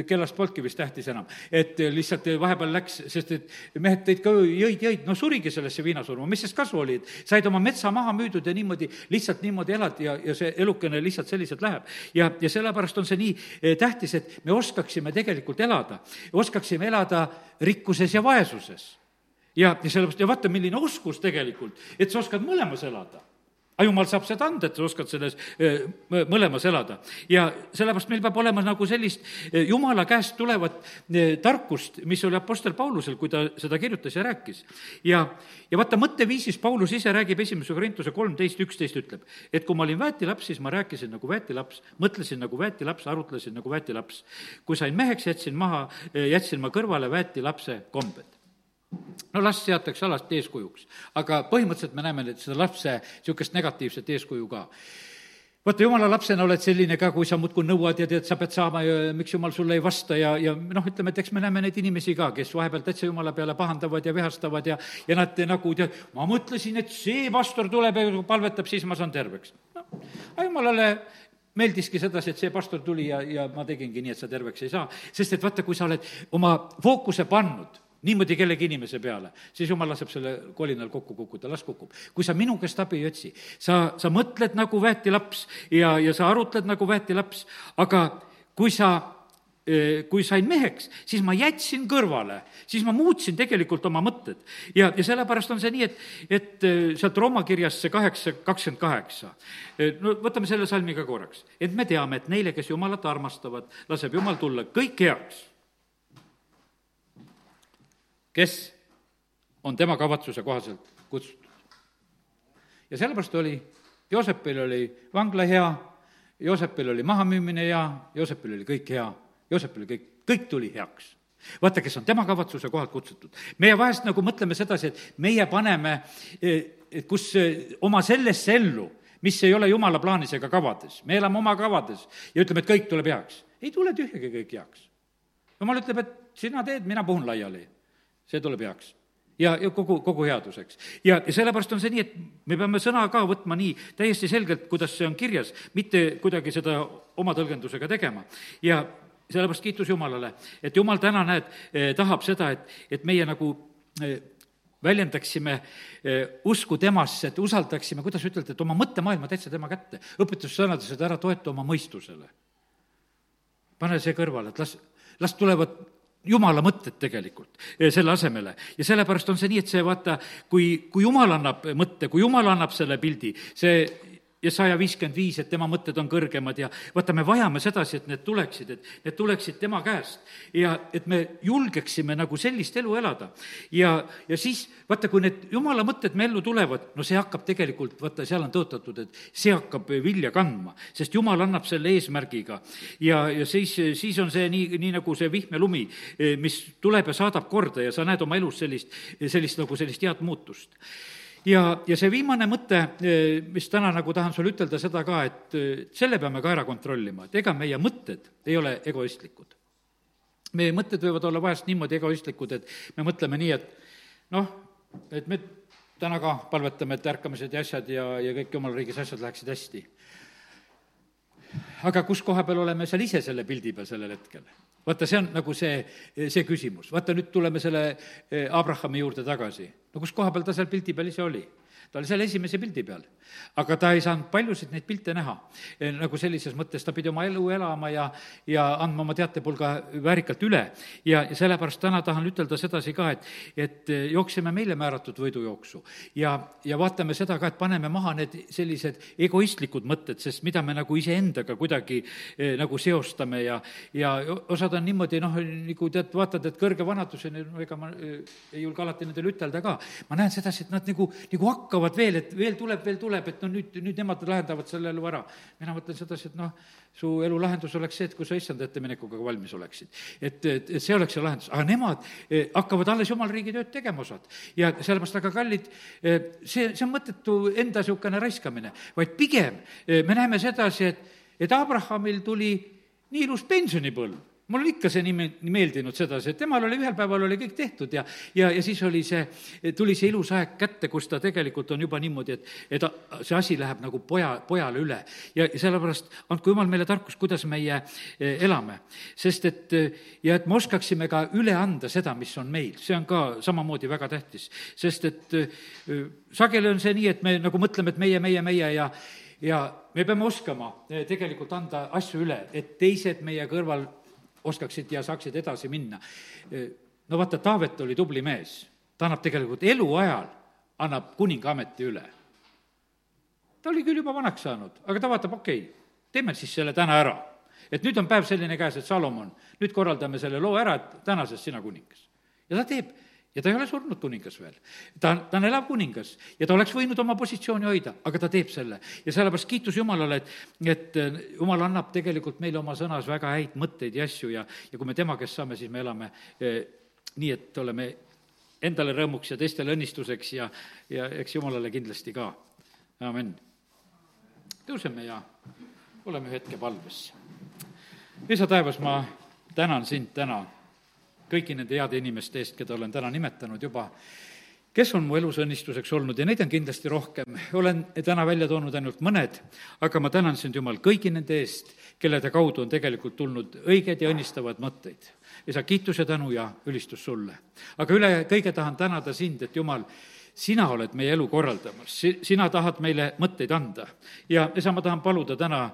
Speaker 1: kellast polnudki vist tähtis enam. Et lihtsalt vahepeal läks, sest et mehed tõid ka jõid, no surigi sellesse viinasurma, mis sest kasu oli, et said oma metsa maha müüdud ja niimoodi, lihtsalt niimoodi elad ja see elukene lihtsalt selliselt läheb. Ja sellepärast on see nii tähtis, et me oskaksime tegelikult elada, oskaksime elada rikkuses ja vaesuses. Ja sellepärast, ja vaata, milline oskus tegelikult, et sa oskad mõlemas elada. Aga jumal saab seda anda, et sa oskad selles mõlemas elada. Ja sellepärast meil peab olema nagu sellist Jumala käest tulevat tarkust, mis oli apostel Paulusel, kui ta seda kirjutas ja rääkis. Ja vaata, mõtteviisis Paulus ise räägib 1. Korintuse 13:11 ütleb, et kui ma olin väetilaps, siis ma rääkisin nagu väetilaps, mõtlesin nagu väetilaps, arutlesin nagu väetilaps. Kui sain meheks, jätsin ma kõrvale väetilapse kombed. No last seatakse alati eeskujuks, aga põhimõtteliselt me näeme seda lapse niisugust negatiivset eeskuju ka. Vaata, jumala lapsena oled selline ka, kui sa muudkui nõuad ja tead, sa pead saama ja miks jumal sulle ei vasta ja ütleme, et eks me näeme neid inimesi ka, kes vahepeal täitsa jumala peale pahandavad ja vihastavad ja nad nagu tead, ma mõtlesin, et see pastor tuleb ja palvetab, siis ma saan terveks. Aga jumalale meeldiski sedasi, et see pastor tuli ja ma tegingi nii, et sa terveks ei saa, sest et vaata, kui sa oled oma fookuse pannud niimoodi kellegi inimese peale, siis jumal laseb selle kolinal kokku kukkuda, las kukub. Kui sa minu käest abi ei otsi, sa mõtled nagu väetilaps ja sa arutled nagu väetilaps, aga kui sain meheks, siis ma jätsin kõrvale, siis ma muutsin tegelikult oma mõtted. Ja sellepärast on see nii, et sealt Rooma kirjas see 8:28. No võtame selle salmi ka korraks. Et me teame, et neile, kes Jumalat armastavad, laseb Jumal tulla kõik heaks, kes on tema kavatsuse kohaselt kutsutud. Ja sellepärast Joosepil oli vangla hea, Joosepil oli mahamüümine hea, Joosepil oli kõik hea, Joosepil oli kõik tuli heaks. Vaata, kes on tema kavatsuse kohalt kutsutud. Meie vahest nagu mõtleme sedasi, et meie paneme, kus oma sellesse ellu, mis ei ole Jumala plaanis ega kavades. Me elame oma kavades ja ütleme, et kõik tuleb heaks. Ei tule tühjagi kõik heaks. Jumal ütleb, et sina teed, mina puhun laiali. See tuleb heaks ja kogu headuseks. Ja sellepärast on see nii, et me peame sõna ka võtma nii täiesti selgelt, kuidas see on kirjas, mitte kuidagi seda oma tõlgendusega tegema. Ja sellepärast kiitus Jumalale, et Jumal täna tahab seda, et meie nagu väljendaksime usku temasse, et usaldaksime, kuidas ütelda, et oma mõttemaailma täitsa tema kätte. Õpetussõnades, et ära toeta oma mõistusele. Pane see kõrvale, et las tulevad Jumala mõtted tegelikult selle asemele. Ja sellepärast on see nii, et see vaata, kui Jumal annab mõtte, kui Jumal annab selle pildi, see Jesaja 55, et tema mõtted on kõrgemad ja vaata, me vajame sedasi, et need tuleksid tema käest ja et me julgeksime nagu sellist elu elada. Ja siis, vaata, kui need Jumala mõtted me ellu tulevad, no see hakkab tegelikult, vaata, seal on tõotatud, et see hakkab vilja kandma, sest Jumal annab selle eesmärgiga. Ja siis on see nii nagu see vihm ja lumi, mis tuleb ja saadab korda ja sa näed oma elus sellist head muutust. Ja see viimane mõte, mis täna nagu tahan sulle ütelda seda ka, et selle peame ka ära kontrollima, et ega meie mõtted ei ole egoistlikud. Meie mõtted võivad olla vahest niimoodi egoistlikud, et me mõtleme nii, et me täna ka palvetame, et ärkamised ja asjad ja kõik Jumala riigis asjad läheksid hästi. Aga kus koha peal oleme seal ise selle pildi peal sellel hetkel? Vaata, see on nagu see küsimus. Vaata, nüüd tuleme selle Abrahami juurde tagasi. No kus koha peal ta seal pildi peal ise oli? Ta oli seal esimese pildi peal, aga ta ei saanud paljusid neid pilte näha. Nagu sellises mõttes ta pidi oma elu elama ja andma oma teatepulga väärikalt üle. Ja sellepärast täna tahan ütelda sedasi ka, et jooksime meile määratud võidujooksu. Ja vaatame seda ka, et paneme maha need sellised egoistlikud mõtted, sest mida me nagu iseendaga kuidagi nagu seostame ja osad on niimoodi, nagu tead, vaatad, et kõrge vanaduseni, ega ma ei julge alati nendele ütelda ka. Ma näen sedasi, et nad nagu hakkavad veel, et veel tuleb, et nüüd nemad lahendavad selle elu ära. Mina mõtlen sedasi, et su elu lahendus oleks see, et kui sa issand ette minekuga valmis oleksid. Et see oleks see lahendus. Aga nemad hakkavad alles Jumala riigi tööd tegema osad. Ja sellepärast aga kallid, see on mõttetu enda niisugune raiskamine, vaid pigem me näeme sedasi, et Abrahamil tuli nii ilus pensionipõlv. mul on ikka see nii meeldinud sedasi, et temal oli ühel päeval oli kõik tehtud ja siis oli tuli see ilus aeg kätte, kus ta tegelikult on juba niimoodi, et see asi läheb nagu pojale üle. Ja sellepärast andku Jumal meile tarkus, kuidas meie elame. Sest et me oskaksime ka üle anda seda, mis on meil. See on ka samamoodi väga tähtis. Sest et sageli on see nii, et me nagu mõtleme, et meie ja me peame oskama tegelikult anda asju üle, et teised meie kõrval oskaksid ja saaksid edasi minna. No vaata, Taavet oli tubli mees. Ta annab tegelikult eluajal, annab kuninga ameti üle. Ta oli küll juba vanaks saanud, aga ta vaatab, teeme siis selle täna ära. Et nüüd on päev selline käes, et Salomon, nüüd korraldame selle loo ära, et tänasest sina kuningas. Ja ta teeb. Ja ta ei ole surnud kuningas veel. Ta on elav kuningas ja ta oleks võinud oma positsiooni hoida, aga ta teeb selle. Ja sellepärast kiitus Jumalale, et Jumal annab tegelikult meile oma sõnas väga häid mõtteid ja asju ja kui me tema käest saame, siis me elame nii, et oleme endale rõõmuks ja teistele õnnistuseks ja eks Jumalale kindlasti ka. Amen. Tõuseme ja oleme hetke palves. Isa taevas, ma tänan sind täna kõiki nende heade inimeste eest, keda olen täna nimetanud juba, kes on mu elus õnnistuseks olnud ja neid on kindlasti rohkem. Olen täna välja toonud ainult mõned, aga ma tänan sind, Jumal, kõigi nende eest, kellede kaudu on tegelikult tulnud õiged ja õnnistavad mõtteid. Isa, kiitus ja tänu ja ülistus sulle. Aga üle kõige tahan tänada sind, et Jumal, sina oled meie elu korraldamas, sina tahad meile mõtteid anda. Ja isa, ma tahan paluda täna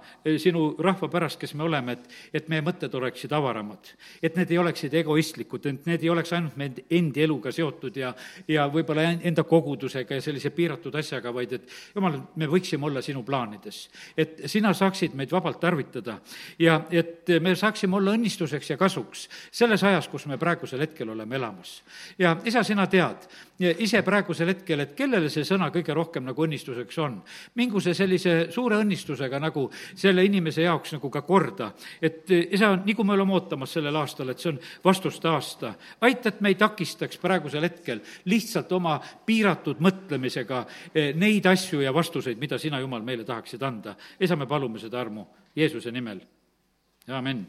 Speaker 1: sinu rahva pärast, kes me oleme, et meie mõtted oleksid avaramad. Et need ei oleksid egoistlikud, et need ei oleks ainult meie endi eluga seotud ja võib-olla enda kogudusega ja sellise piiratud asjaga, vaid et Jumal, me võiksime olla sinu plaanides. Et sina saaksid meid vabalt tarvitada ja et me saaksime olla õnnistuseks ja kasuks selles ajas, kus me praegusel hetkel oleme elamas. Ja isa, sina tead ise praegusel hetkel, et kellele see sõna kõige rohkem nagu õnnistuseks on. Mingu see sellise suure õnnistusega nagu selle inimese jaoks nagu ka korda. Et isa, nii kui me oleme ootamas sellel aastal, et see on vastuste aasta, aita, et me ei takistaks praegusel hetkel lihtsalt oma piiratud mõtlemisega neid asju ja vastuseid, mida sina, Jumal, meile tahaksid anda. Isa, me palume seda armu Jeesuse nimel. Amen.